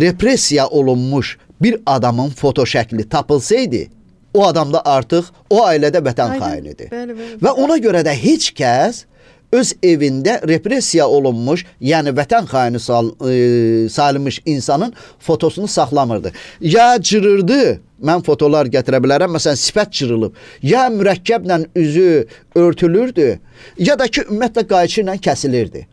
[SPEAKER 10] repressiya olunmuş bir adamın foto şəkli tapılsaydı, o adam da artıq o ailədə vətən xainidir. Bəli, bəli. Və ona görə də heç kəs öz evində repressiya olunmuş, yəni vətən xaini sal, e, salınmış insanın fotosunu saxlamırdı. Ya cırırdı, mən fotolar gətirə bilərəm, məsələn sifət cırılıb, ya mürəkkəblə üzü örtülürdü, ya da ki ümumiyyətlə qayçı ilə kəsilirdi.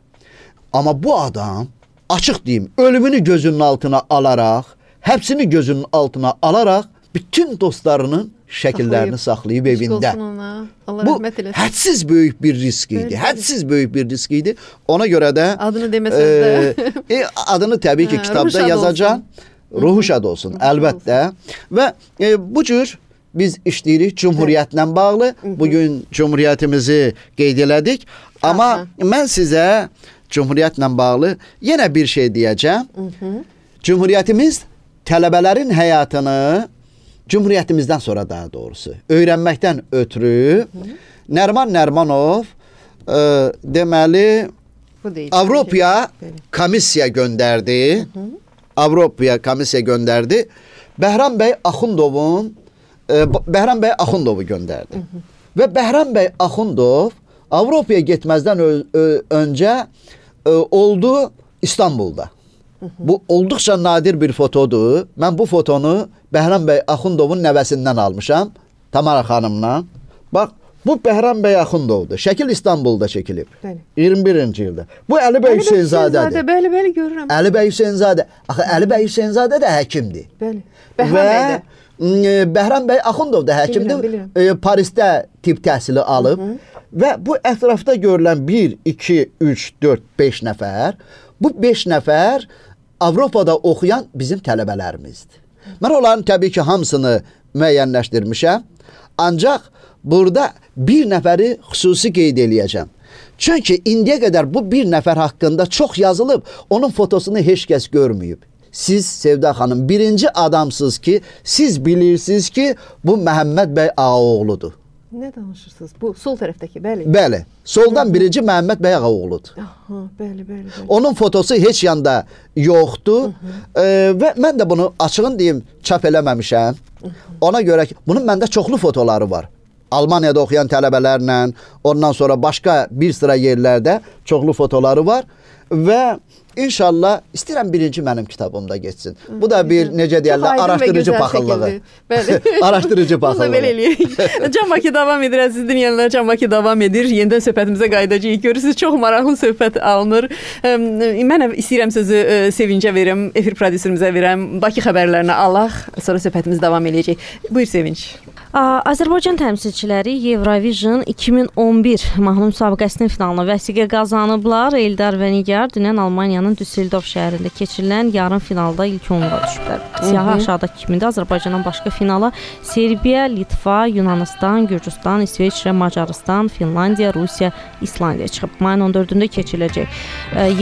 [SPEAKER 10] Amma bu adam, açıq deyim, ölümünü gözünün altına alaraq, həbsini gözünün altına alaraq bütün dostlarının şəkillərini saxlayıb evində.
[SPEAKER 1] Allah
[SPEAKER 10] Bu
[SPEAKER 1] rəhmət eləsin.
[SPEAKER 10] hədsiz böyük bir risk idi.
[SPEAKER 1] Bəli,
[SPEAKER 10] Hədsiz böyük bir risk idi. Ona görə də
[SPEAKER 1] adını deməsəz də
[SPEAKER 10] e, adını təbii ki
[SPEAKER 1] Hə,
[SPEAKER 10] kitabda
[SPEAKER 1] ruh şad
[SPEAKER 10] yazacağam.
[SPEAKER 1] olsun.
[SPEAKER 10] Ruhu şad olsun,
[SPEAKER 1] Ruhu
[SPEAKER 10] əlbəttə. Və e, bu cür biz işləyirik Cümhuriyyətlə bağlı. Bu gün Cümhuriyyətimizi qeyd elədik. Amma
[SPEAKER 1] Aha.
[SPEAKER 10] mən sizə Cümhuriyyətlə bağlı yenə bir şey deyəcəm. Cümhuriyyətimiz tələbələrin həyatını Cümhuriyyətimizdən sonra daha doğrusu öyrənməkdən ötürü Nərman Nərmanov e, deməli Avropaya komissiya göndərdi. Avropaya komissiya göndərdi. Bəhram bəy Axundovun e, Bəhram bəy Axundovu göndərdi. Və Bəhram bəy Axundov Avropaya getməzdən öncə e, oldu İstanbulda. Bu olduqca nadir bir fotodur. Mən bu fotonu Bəhram bəy Axundovun nəvəsindən almışam. Tamara xanımla. Bax, bu Bəhram bəy Axundovdur. Şəkil İstanbulda çəkilib.
[SPEAKER 1] Bəli.
[SPEAKER 10] iyirmi birinci ildə. Bu Əli bəy Hüseynzadədir.
[SPEAKER 1] Bəli, bəli, görürəm.
[SPEAKER 10] Əli bəy Hüseynzadə. Axı Əli bəy Hüseynzadə də həkimdir.
[SPEAKER 1] Bəli. Bəhram bəy də.
[SPEAKER 10] Və Bəhram bəy Axundov da həkimdir.
[SPEAKER 1] Bilirəm, bilirəm.
[SPEAKER 10] E, Parisdə tibb təhsili alıb. Hı -hı. Və bu ətrafda görülən bir, iki, üç, dörd, beş nəfər, bu beş nəfər Avropada oxuyan bizim tələbələrimizdir. Mən onların təbii ki hamısını müəyyənləşdirmişəm. Ancaq burada bir nəfəri xüsusi qeyd eləyəcəm. Çünki indiyə qədər bu bir nəfər haqqında çox yazılıb, onun fotosunu heç kəs görməyib. Siz Sevda xanım birinci adamsınız ki, siz bilirsiniz ki, bu Məhəmməd bəy Ağaoğludur.
[SPEAKER 1] Nə danışırsınız? Bu sol tərəfdəki, bəli.
[SPEAKER 10] Bəli. Soldan birinci Məhəmməd bəy Ağaoğludur.
[SPEAKER 1] Aha, bəli, bəli, bəli.
[SPEAKER 10] Onun fotosu heç yanda yoxdur. E, və mən də bunu açığın deyim, çap eləməmişəm. Ona görə ki, bunun məndə çoxlu fotoları var. Almaniyada oxuyan tələbələrlə, ondan sonra başqa bir sıra yerlərdə çoxlu fotoları var və İnşallah istəyirəm birinci mənim kitabımda geçsin. Bu da bir necə deyirlər, araşdırıcı paxıllığı.
[SPEAKER 1] Bəli.
[SPEAKER 10] Araşdırıcı paxıllığı.
[SPEAKER 1] Bunu da belə eləyək. Can Bakı davam edir, əziz dinləyənlər. Can Bakı davam edir. Yenidən söhbətimizə qayıdacağıq. Görürsünüz, çox maraqlı söhbət alınır. Mən istəyirəm sözü Sevincə verim, efir prodüserimizə verəm. Bakı xəbərlərini alaq, sonra söhbətimiz davam eləyəcək. Buyur Sevinç.
[SPEAKER 11] Azərbaycan təmsilçiləri Eurovision iki min on bir mahnı müsabiqəsinin finalına vəsiqə qazanıblar. Eldar və Nigar dünən Almaniyanın Düsseldorf şəhərində keçirilən yarım finalda ilk onluğa düşüblər. Siyahı aşağıdakı kimində Azərbaycandan başqa finala Serbiya, Litva, Yunanistan, Gürcüstan, İsveçrə, Macarıstan, Finlandiya, Rusiya, İslandiya çıxıb. Mayın on dördündə keçiriləcək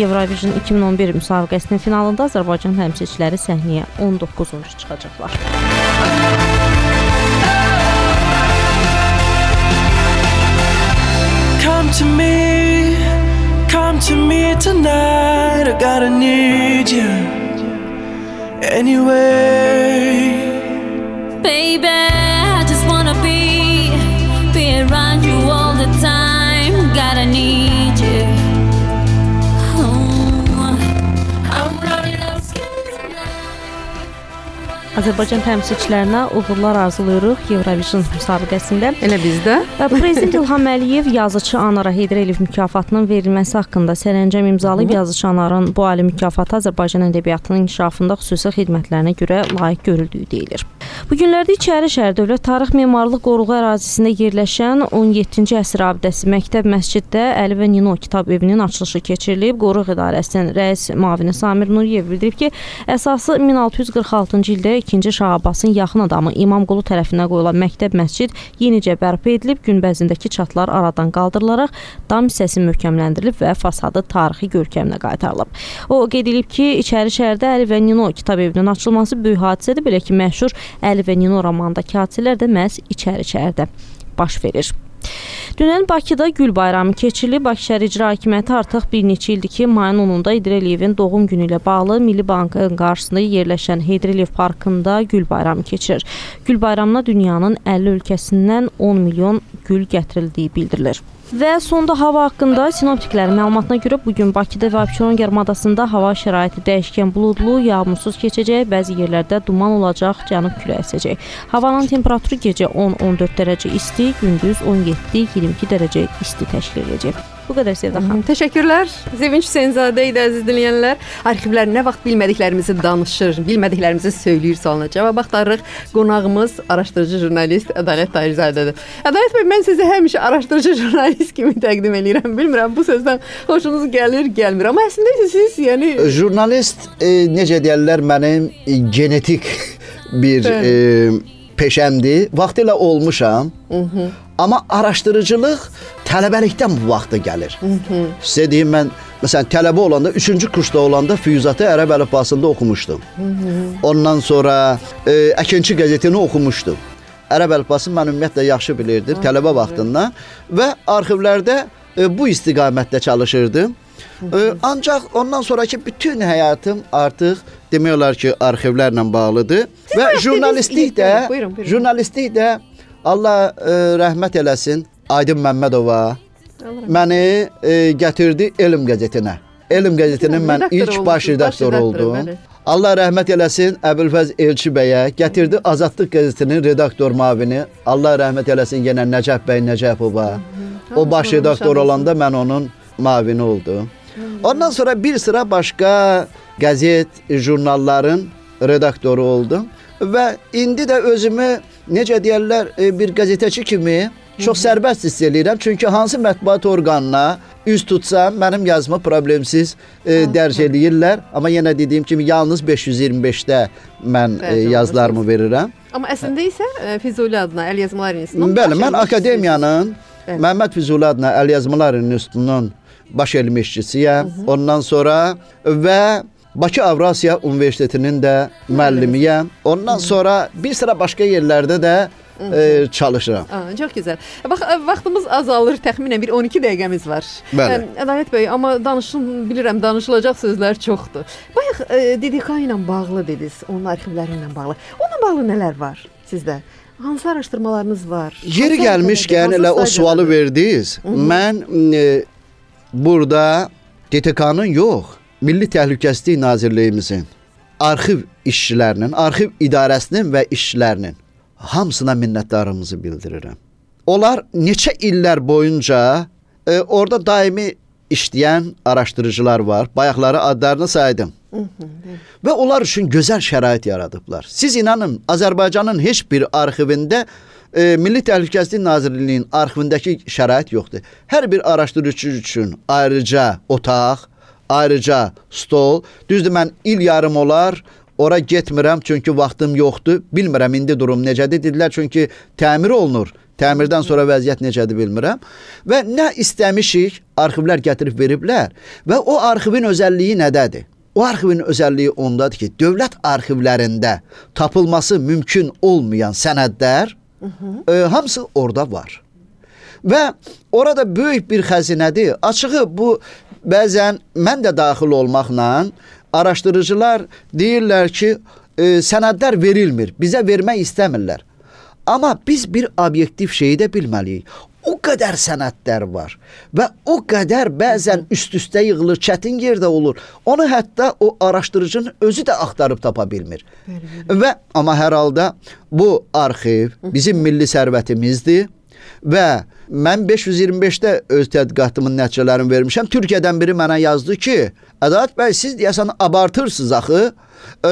[SPEAKER 11] Eurovision iki min on bir müsabiqəsinin finalında Azərbaycan təmsilçiləri səhnəyə on doqquzuncu çıxacaqlar.
[SPEAKER 12] Come to me, come to me tonight. I gotta need you anyway.
[SPEAKER 13] Baby, I just wanna be, be around you all the time. Gotta need you. Oh, I'm running out of skin tonight.
[SPEAKER 11] Azərbaycan təmsilçilərinə uğurlar arzulayırıq Eurovision müsabiqəsində.
[SPEAKER 1] Elə bizdə.
[SPEAKER 11] Prezident İlham Əliyev yazıçı Anara Heydər Əliyev mükafatının verilməsi haqqında sərəncam imzalayıb. Yazıçı Anarın bu ali mükafatı Azərbaycan ədəbiyyatının inkişafında xüsusi xidmətlərinə görə layiq görüldüyü deyilir. Bu günlərdə İçərişəhər Dövlət Tarix Memarlıq Qoruğu ərazisində yerləşən on yeddinci əsr abidəsi Məktəb Məsciddə Əli və Nino kitab evinin açılışı keçirilib. Qoruq İdarəsinin rəis müavini Samir Nuriyev bildirib ki, əsası min altı yüz qırx altıncı ildə ikinci Şah Abbasın yaxın adamı İmamqulu tərəfindən qoyulan Məktəb Məscid yenicə bərpa edilib, günbəzindəki çatlar aradan qaldırılaraq dam hissəsi möhkəmləndirilib və fasadı tarixi görkəminə qaytarılıb. O qeyd edib ki, İçərişəhərdə Əli və Nino kitab evinin açılması böyük hadisədir, belə ki, məşhur Əli və Nino romanındakı hadisələr də məhz İçərişəhərdə baş verir. Dünən Bakıda Gül bayramı keçirilib. Bakı şəhər İcra Hakimiyyəti artıq bir neçə ildir ki, mayın onunda Heydər Əliyevin doğum günü ilə bağlı Milli Bankın qarşısında yerləşən Heydər Əliyev parkında Gül bayramı keçirir. Gül bayramına dünyanın əlli ölkəsindən on milyon gül gətirildiyi bildirilir. Və sonda hava haqqında sinoptiklərin məlumatına görə bugün Bakıda və Abşeron yarımadasında hava şəraiti dəyişkən buludlu, yağmursuz keçəcək, bəzi yerlərdə duman olacaq, cənub küləyi əsəcək. Havanın temperaturu gecə on on dörd dərəcə isti, gündüz on yeddi iyirmi iki dərəcə isti təşkil edəcək. Bu qədər Sevda xanım.
[SPEAKER 1] Təşəkkürlər. Sevinç Hüseynzadə idi əziz dinləyənlər. Arxivlər nə vaxt bilmədiklərimizi danışır, bilmədiklərimizi söyləyir sualına cavab axtarırıq. Qonağımız araşdırıcı jurnalist Ədalət Tahirzadədir. Ədalət bəy, mən sizi həmişə araşdırıcı jurnalist kimi təqdim edirəm. Bilmirəm bu sözdən xoşunuz gəlir, gəlmir. Amma əslində siz, yəni
[SPEAKER 10] jurnalist e, necə deyirlər, mənim e, genetik bir e, peşəmdir. Vaxtilə olmuşam. Hı -hı. Amma araşdırıcılıq tələbəlikdən bu vaxta gəlir. Sizə deyim, mən məsələn tələbə olanda, üçüncü kursda olanda Füyuzatı ərəb əlifbasında oxumuşdum. Hı -hı. Ondan sonra e, Əkinçi qəzetini oxumuşdum. Ərəb əlifbasını mən ümumiyyətlə yaxşı bilirdim tələbə vaxtından və arxivlərdə e, bu istiqamətdə çalışırdım. E, ancaq ondan sonraki bütün həyatım artıq demək olar ki, arxivlərlə bağlıdır. Siz və jurnalistlik də, buyurun, buyurun. jurnalistlik də Allah e, rəhmət eləsin Aydın Məmmədova məni e, gətirdi Elm qəzetinə. Elm qəzetinin mən ilk baş redaktoru oldum. Allah rəhmət eləsin Əbülfəz Elçi bəyə gətirdi Azadlıq qəzetinin redaktor müavini. Allah rəhmət eləsin yenə Nəcəf bəy Nəcəfova. O baş redaktor olanda mən onun müavini oldum. Ondan sonra bir sıra başqa qəzet, jurnalların redaktoru oldum və indi də özümü necə deyirlər, bir qəzetəçi kimi çox sərbəst hiss edirəm. Çünki hansı mətbuat orqanına üz tutsam, mənim yazımı problemsiz e, dərc eləyirlər. Amma yenə dediyim kimi, yalnız beş yüz iyirmi beşdə mən e, yazılarımı verirəm.
[SPEAKER 1] Amma əslində isə Füzuli adına Əl Yazmalar İnstitutunun
[SPEAKER 10] Bəli, mən akademiyanın Bəli. Məhəmməd Füzuli adına Əl Yazmalar İnstitutunun baş elmi işçisiyəm. Ondan sonra və Bakı Avrasiya Universitetinin də müəllimiyəm. Ondan sonra bir sıra başqa yerlərdə də e, çalışıram.
[SPEAKER 1] Aa, çox gözəl. Bax, vaxtımız azalır, təxminən bir on iki dəqiqəmiz var.
[SPEAKER 10] Bəli.
[SPEAKER 1] Ədalət bəy, amma danışın, bilirəm, danışılacaq sözlər çoxdur. Bayaq e, D D K ilə bağlı dediniz, onun arxivləri ilə bağlı. Onunla bağlı nələr var sizdə? Hansı araşdırmalarınız var?
[SPEAKER 10] Yeri gəlmişkən elə o sualı verdiniz. Hı -hı. Mən e, burada D T K-nın yox, Milli Təhlükəsizlik Nazirliyimizin arxiv işçilərinin, arxiv idarəsinin və işçilərinin hamısına minnətdarlığımızı bildirirəm. Onlar neçə illər boyunca e, orada daimi işləyən araşdırıcılar var. Bayaqları adlarını saydım. Hı -hı. Və onlar üçün gözəl şərait yaradıblar. Siz inanın, Azərbaycanın heç bir arxivində e, Milli Təhlükəsizlik Nazirliyinin arxivindəki şərait yoxdur. Hər bir araşdırıcı üçün ayrıca otaq, ayrıca stol. Düzdür, mən il yarım olar ora getmirəm çünki vaxtım yoxdur. Bilmirəm indi durum necədir dedilər çünki təmir olunur. Təmirdən sonra vəziyyət necədir bilmirəm. Və nə istəmişik arxivlər gətirib veriblər və o arxivin özəlliyi nədədir? O arxivin özəlliyi ondadır ki, dövlət arxivlərində tapılması mümkün olmayan sənədlər hı -hı. E, hamısı orada var. Və orada böyük bir xəzinədir. Açığı bu bəzən mən də daxil olmaqla araşdırıcılar deyirlər ki, e, sənədlər verilmir, bizə vermək istəmirlər. Amma biz bir obyektiv şeyi də bilməliyik. O qədər sənədlər var və o qədər bəzən üst-üstə yığılır, çətin yerdə olur. Onu hətta o araşdırıcının özü də axtarıb tapa bilmir. Bəli, və amma hər halda bu arxiv bizim milli sərvətimizdir və mən beş yüz iyirmi beşdə öz tədqiqatımın nəticələrini vermişəm. Türkiyədən biri mənə yazdı ki, Ədalət bəy, siz deyəsən abartırsınız axı. E,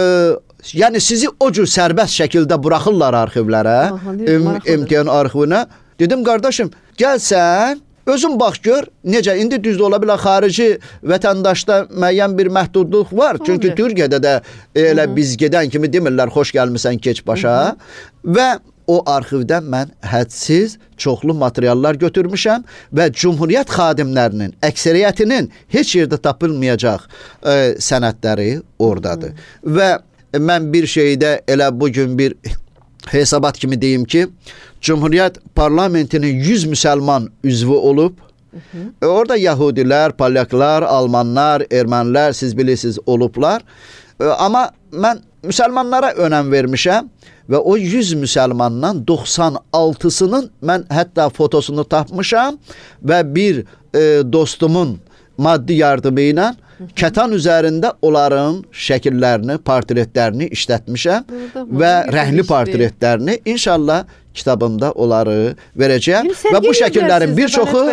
[SPEAKER 10] yəni sizi o cür sərbəst şəkildə buraxırlar arxivlərə, M T N arxivinə. Dedim, qardaşım, gəlsən, özün bax gör, necə, indi düzdür ola bilər, xarici vətəndaşda müəyyən bir məhdudluq var. Çünki Hı-hı. Türkiyədə də elə Hı-hı. biz gedən kimi demirlər, xoş gəlmisən, keç başa. Hı-hı. Və o arxivdən mən hədsiz, çoxlu materiallar götürmüşəm və Cumhuriyyət xadimlərinin, əksəriyyətinin heç yerdə tapılmayacaq e, sənədləri oradadır. Hı-hı. Və mən bir şeydə elə bugün bir hesabat kimi deyim ki, Cumhuriyyət parlamentinin yüz müsəlman üzvü olub. Hı -hı. Orada Yahudilər, Polyaklar, Almanlar, Ermənilər, siz bilirsiniz, olublar. Amma mən müsəlmanlara önəm vermişəm və o yüz müsəlmandan doxsan altısının mən hətta fotosunu tapmışam və bir e, dostumun maddi yardımı ilə kətan üzərində onların şəkillərini, portretlərini işlətmişəm və rəngli portretlərini. İnşallah kitabımda onları verəcəyəm və bu şəkillərin bir çoxu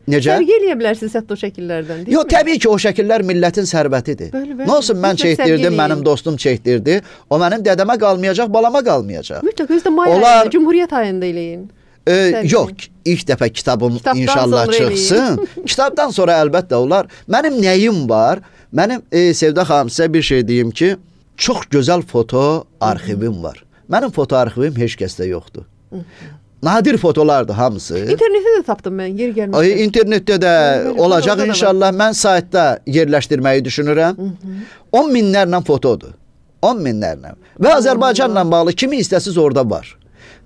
[SPEAKER 10] necə?
[SPEAKER 1] Sərgi eləyə bilərsiniz hətta o şəkillərdən, deyil
[SPEAKER 10] Yox,
[SPEAKER 1] mi?
[SPEAKER 10] təbii ki, o şəkillər millətin sərvətidir.
[SPEAKER 1] Bəli, bəli.
[SPEAKER 10] Nə olsun, mən çəkdirdim, mənim dostum çəkdirdi. O mənim dədəmə qalmayacaq, balama qalmayacaq.
[SPEAKER 1] Mütləq özdə may
[SPEAKER 10] Onlar...
[SPEAKER 1] ayında, Cumhuriyyət ayında eləyin.
[SPEAKER 10] E, yox, ilk dəfə kitabım Kitabdan inşallah çıxsın. Kitabdan sonra əlbəttə onlar. Mənim nəyim var? Mənim e, Sevda xanım sizə bir şey deyim ki, çox gözəl foto arxivim var. Mənim foto arxivim heç kəsdə yoxdur. Nadir fotolardır hamısı.
[SPEAKER 1] İnternetdə də tapdım mən, yer gəlmədi.
[SPEAKER 10] Ay, internetdə də Bəli, olacaq inşallah. Mən saytda yerləşdirməyi düşünürəm. Hı -hı. on minlərlə fotodur. on minlərlə. Və Azərbaycanla bağlı kimi istəsiz orada var.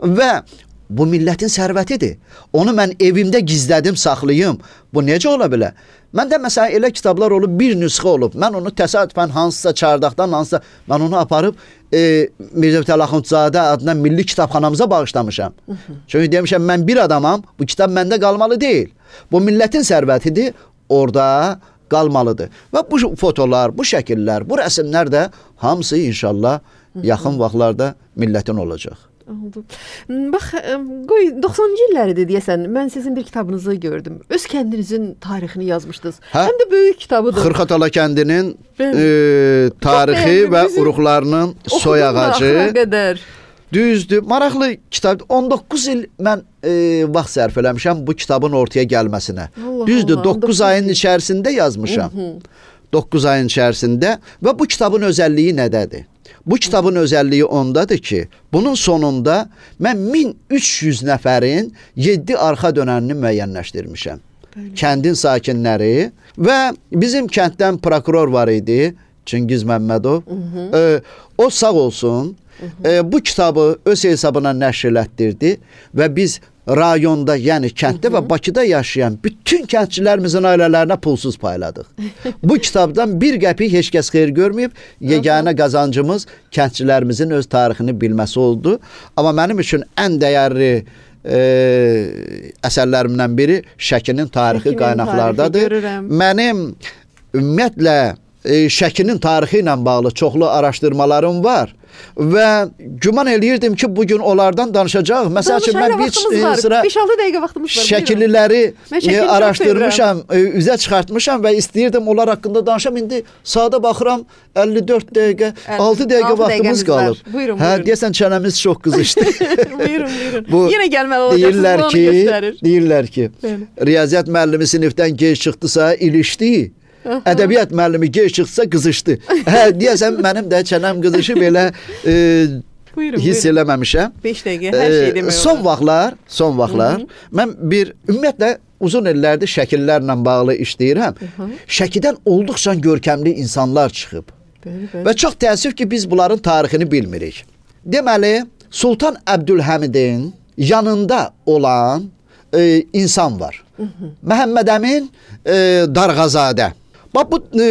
[SPEAKER 10] Və bu millətin sərvətidir. Onu mən evimdə gizlədim, saxlayım. Bu necə ola bilər? Məndə məsələn elə kitablar olub, bir nüsxə olub. Mən onu təsadüfən hansısa çardaqdan, hansısa mən onu aparıb e, Mirzə Fətəli Axundzadə adına milli kitabxanamıza bağışlamışam. Hı -hı. Çünki demişəm, mən bir adamam, bu kitab məndə qalmalı deyil. Bu millətin sərvətidir, orada qalmalıdır. Və bu fotolar, bu şəkillər, bu rəsmlər də hamısı inşallah Hı -hı. yaxın vaxtlarda millətin olacaq.
[SPEAKER 1] Oldu. Bax, qoy doxsanıncı illəridir deyəsən, mən sizin bir kitabınızı gördüm. Öz kəndinizin tarixini yazmışdınız. Hə? Həm də böyük kitabıdır.
[SPEAKER 10] Xırxatala kəndinin e, tarixi və uruqlarının soy ağacı. Düzdür. Maraqlı kitab. on doqquz il mən e, vaxt sərf eləmişəm bu kitabın ortaya gəlməsinə. Allah Düzdür, Allah, doqquz ayın içərisində yazmışam. Hı -hı. doqquz ayın içərisində və bu kitabın özəlliyi nədədir? Bu kitabın özəlliyi ondadır ki, bunun sonunda mən min üç yüz nəfərin yeddi arxa dönənini müəyyənləşdirmişəm. Bəli. Kəndin sakinləri və bizim kənddən prokuror var idi, Çingiz Məmmədov. Hı -hı. E, o sağ olsun, hı -hı. E, bu kitabı öz hesabına nəşr elətdirdi və biz rayonda, yəni kənddə Hı -hı. və Bakıda yaşayan bütün kəndçilərimizin ailələrinə pulsuz payladıq. Bu kitabdan bir qəpik heç kəs xeyir görməyib. Yeganə qazancımız kəndçilərimizin öz tarixini bilməsi oldu. Amma mənim üçün ən dəyərli e, əsərlərimdən biri Şəkinin tarixi Şəkinin qaynaqlardadır. Tarixi Mənim ümumiyyətlə e, Şəkinin tarixi ilə bağlı çoxlu araşdırmalarım var. Və güman eləyirdim ki, bugün onlardan danışacağıq. Məsəl üçün, mən bir sıra
[SPEAKER 1] beş altı dəqiqə vaxtımız var.
[SPEAKER 10] Şəkilləri e, araşdırmışam, e, üzə çıxartmışam və istəyirdim onlar haqqında danışam. İndi saata baxıram, əlli dörd dəqiqə, altı dəqiqə vaxtımız qalıb.
[SPEAKER 1] Buyurun,
[SPEAKER 10] hə,
[SPEAKER 1] buyurun.
[SPEAKER 10] deyəsən çənəmiz çox qızışdı.
[SPEAKER 1] Buyurun, buyurun.
[SPEAKER 10] Bu,
[SPEAKER 1] yenə gəlməli olacaqsınız,
[SPEAKER 10] deyirlər
[SPEAKER 1] onu
[SPEAKER 10] ki,
[SPEAKER 1] göstərir.
[SPEAKER 10] Deyirlər ki, riyaziyyat müəllimi sinifdən gec çıxdısa, ilişdi. Ədəbiyyat müəllimi gec çıxsa qızışdı. Hə, deyəsən mənim də çənəm qızışıb elə e, buyurun, hiss buyurun. eləməmişəm.
[SPEAKER 1] beş dəqiqə hər şey demək
[SPEAKER 10] e, Son vaxtlar, son vaxtlar Hı -hı. mən bir ümumiyyətlə uzun illərdir şəkillərlə bağlı işləyirəm. Hı -hı. Şəkidən olduqca görkəmli insanlar çıxıb. Bəli, bəli. Və çox təəssüf ki, biz bunların tarixini bilmirik. Deməli, Sultan Əbdülhəmidin yanında olan e, insan var. Hı -hı. Məhəmməd Əmin e, Darğazadə. Bax, bu e,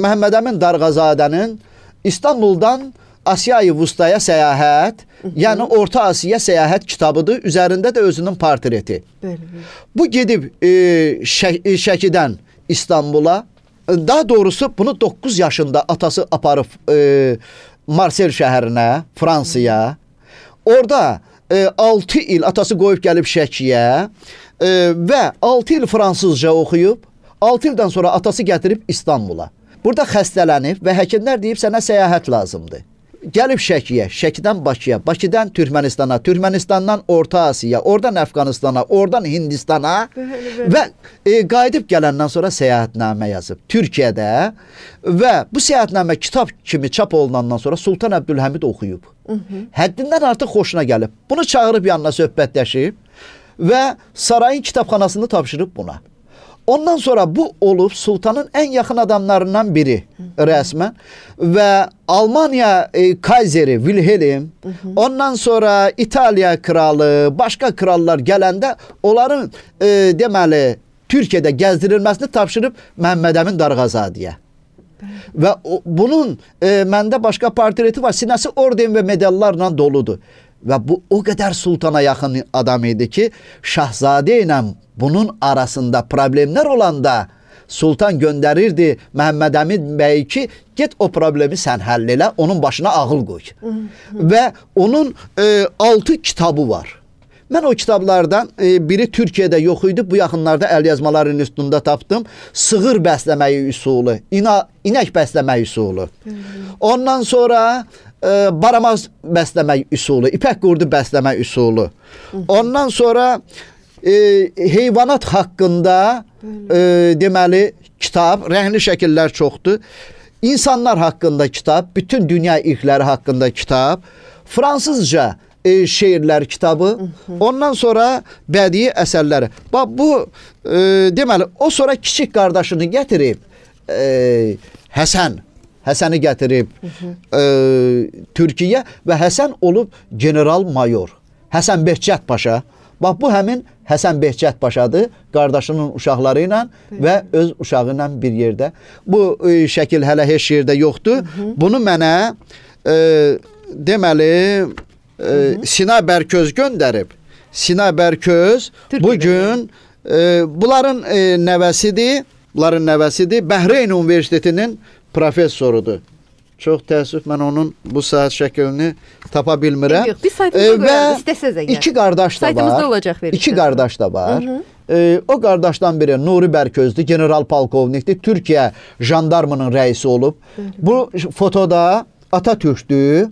[SPEAKER 10] Məhəmməd Əmin Darğazadənin İstanbuldan Asiya-i Vustaya səyahət, Hı -hı. yəni Orta Asiya səyahət kitabıdır. Üzərində də özünün portreti. Bəli, bəli. Bu gedib e, Şək Şəkidən İstanbula, daha doğrusu bunu doqquz yaşında atası aparıb e, Marsel şəhərinə, Fransaya. Orada e, altı il atası qoyub gəlib Şəkiyə e, və altı il fransızca oxuyub, altı ildən sonra atası gətirib İstanbula. Burada xəstələnib və həkimlər deyib sənə səyahət lazımdır. Gəlib Şəkiyə, Şəkidən Bakıya, Bakıdan Türkmənistana, Türkmənistandan Orta Asiya, oradan Əfqanistana, oradan Hindistana bəli, bəli. və e, qayıdıb gələndən sonra səyahətnamə yazıb Türkiyədə və bu səyahətnamə kitab kimi çap olunandan sonra Sultan Əbdülhəmid oxuyub. Hı -hı. Həddindən artıq xoşuna gəlib. Bunu çağırıb yanına söhbətləşib və sarayın kitabxanasını tapşırıb buna. Ondan sonra bu olub sultanın ən yaxın adamlarından biri rəsmən və Almaniya e, kayseri Wilhelm, hı -hı. ondan sonra İtaliya kralı, başqa krallar gələndə onların e, deməli Türkiyədə gəzdirilməsini tapşırıb Məhəmməd Əmin Darğazadəyə. Və o, bunun e, məndə başqa portreti var. Sinəsi orden və medallarla doludur. Və bu o qədər sultana yaxın adam idi ki, Şahzadə ilə bunun arasında problemlər olanda sultan göndərirdi Məhəmməd Əmin bəy ki, get o problemi sən həll elə, onun başına ağıl qoy. Hı -hı. Və onun e, altı kitabı var. Mən o kitablardan e, biri Türkiyədə yox idi. Bu yaxınlarda əlyazmaların üstündə tapdım. Sığır bəsləməyi üsulu, ina, inək bəsləmək üsulu. Ondan sonra e, baramaz bəsləmək üsulu, ipək qurdu bəsləmək üsulu. Ondan sonra e, heyvanat haqqında e, deməli kitab, rəngli şəkillər çoxdur. İnsanlar haqqında kitab, bütün dünya irqləri haqqında kitab, fransızca e, şeirlər kitabı, ondan sonra bədii əsərləri. Bax bu e, deməli o sonra kiçik qardaşını gətirib e, Həsən Həsəni gətirib e, Türkiyə və Həsən olub general mayor. Həsən Behçət Paşa. Bax bu həmin Həsən Behçət Paşadır, qardaşının uşaqları ilə və öz uşağı ilə bir yerdə. Bu e, şəkil hələ heç yerdə yoxdur. Hı -hı. Bunu mənə e, deməli e, Sina Bərköz göndərib. Sina Bərköz bu gün e, bunların e, nəvəsidir. Bunların nəvəsidir. Bəhreyn Universitetinin professorudur. Çox təəssüf mən onun bu saat şəklini tapa bilmirəm.
[SPEAKER 1] Yox, biz saytımızda qoyarıq, istəsəz əgər.
[SPEAKER 10] İki qardaş da var.
[SPEAKER 1] Saytımızda olacaq verir.
[SPEAKER 10] İki qardaş da var. Hı -hı. E, o qardaşdan biri Nuri Bərközdür, general polkovnikdir. Türkiyə jandarmının rəisi olub. Hı -hı. Bu fotoda Atatürk'dür,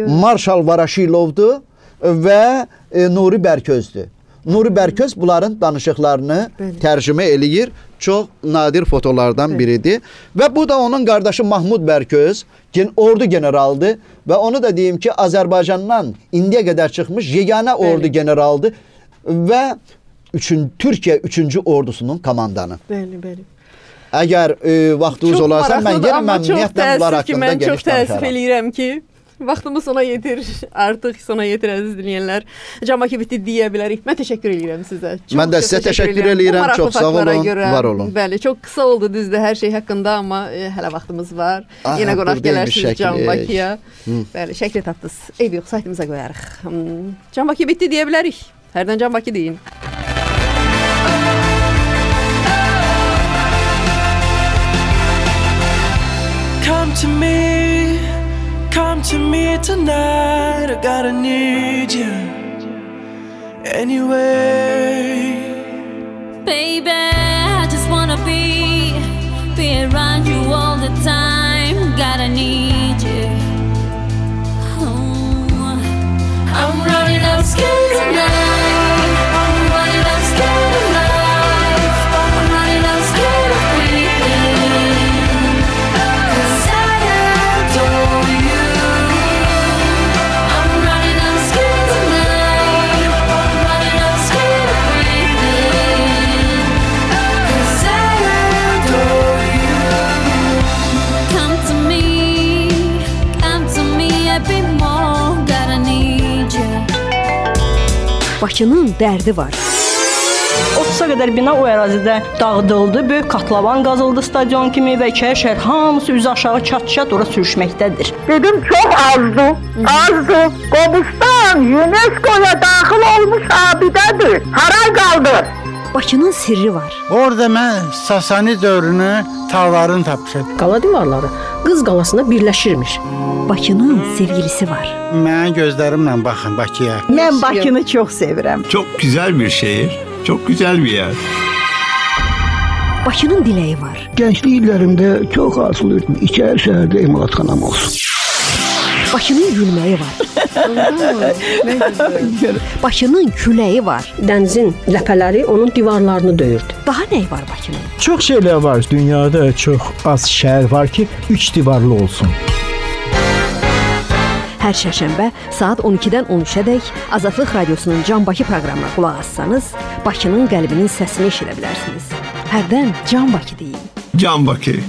[SPEAKER 10] Marşal Varaşilovdur və e, Nuri Bərközdür. Nuri Bərköz bunların danışıqlarını Bəli. tərcümə eləyir. Çox nadir fotolardan Bəli. biridir. Və bu da onun qardaşı Mahmud Bərköz, gen ordu generaldır və onu da deyim ki, Azərbaycandan indiyə qədər çıxmış yeganə ordu Bəli. generaldır və üçün, Türkiyə üçüncü ordusunun komandanı.
[SPEAKER 1] Bəli, bəli.
[SPEAKER 10] Əgər e, vaxtınız olarsa, mən yenə məmnuniyyətlə bunlar haqqında
[SPEAKER 1] geniş
[SPEAKER 10] danışaram.
[SPEAKER 1] Çox təəssüf eləyirəm ki, vaxtımız sona yetir, artıq sona yetir əziz dinləyənlər. Cambaki bitdi deyə bilərik. Mən təşəkkür edirəm sizə. Çox,
[SPEAKER 10] mən də sizə təşəkkür edirəm. Çox sağ olun,
[SPEAKER 1] görə,
[SPEAKER 10] var olun.
[SPEAKER 1] Bəli, çox qısa oldu düzdür hər şey haqqında, amma e, hələ vaxtımız var. Ah, yenə qonaq gələrsiniz Cambakiyə. Bəli, şəkli tapdınız. Eybi yox, saytımıza qoyarıq. Hmm. Cambaki bitdi deyə bilərik. Hərdən Cambaki deyin.
[SPEAKER 12] Come to me, come to me tonight. I gotta need you anyway.
[SPEAKER 13] Baby, I just wanna be, be around you all the time. Gotta need you. Oh, I'm running out scared tonight. I'm running out scared of life. I'm running out scared of breathing. 'Cause I adore you. I'm running out scared tonight. I'm running out scared of breathing. 'Cause I adore you. Come to me, come to me a bit more. Gotta need you.
[SPEAKER 5] Bakının dərdi var.
[SPEAKER 2] otuza qədər bina o ərazidə dağıdıldı. Böyük katlavan qazıldı stadion kimi və iki şəhər hamısı üzü aşağı çat-çat ora sürüşməkdədir.
[SPEAKER 3] Dedim çox azdır, azdır. Qobustan UNESCO-ya daxil olmuş abidədir. Haray qaldı.
[SPEAKER 5] Bakının sirri var.
[SPEAKER 4] Orada mən Sasani dövrünü tağlarını tapmışam.
[SPEAKER 5] Qala divarları Qız qalasına birləşirmiş. Bakının sevgilisi var.
[SPEAKER 4] Mən gözlərimlə baxın Bakıya.
[SPEAKER 6] Mən Bakını çox sevirəm.
[SPEAKER 7] Çok güzel bir şehir, çok güzel bir yer.
[SPEAKER 5] Bakının diləyi var.
[SPEAKER 8] Gənclik illərimdə çox arzulayırdım. İçəri şəhərdə emalatxanam olsun.
[SPEAKER 5] Bakının gülməyi var. Bakının küləyi var. Dənizin ləpələri onun divarlarını döyürdü. Daha nə var Bakının?
[SPEAKER 9] Çox şeylər var. Dünyada çox az şəhər var ki, üç divarlı olsun.
[SPEAKER 1] Hər şərşənbə saat on ikidən on üçədək Azadlıq Radiosunun Cambaki proqramına qulaq assanız, Bakının qəlbinin səsini eşidə bilərsiniz. Hərdən Cambaki deyin.
[SPEAKER 7] Cambaki.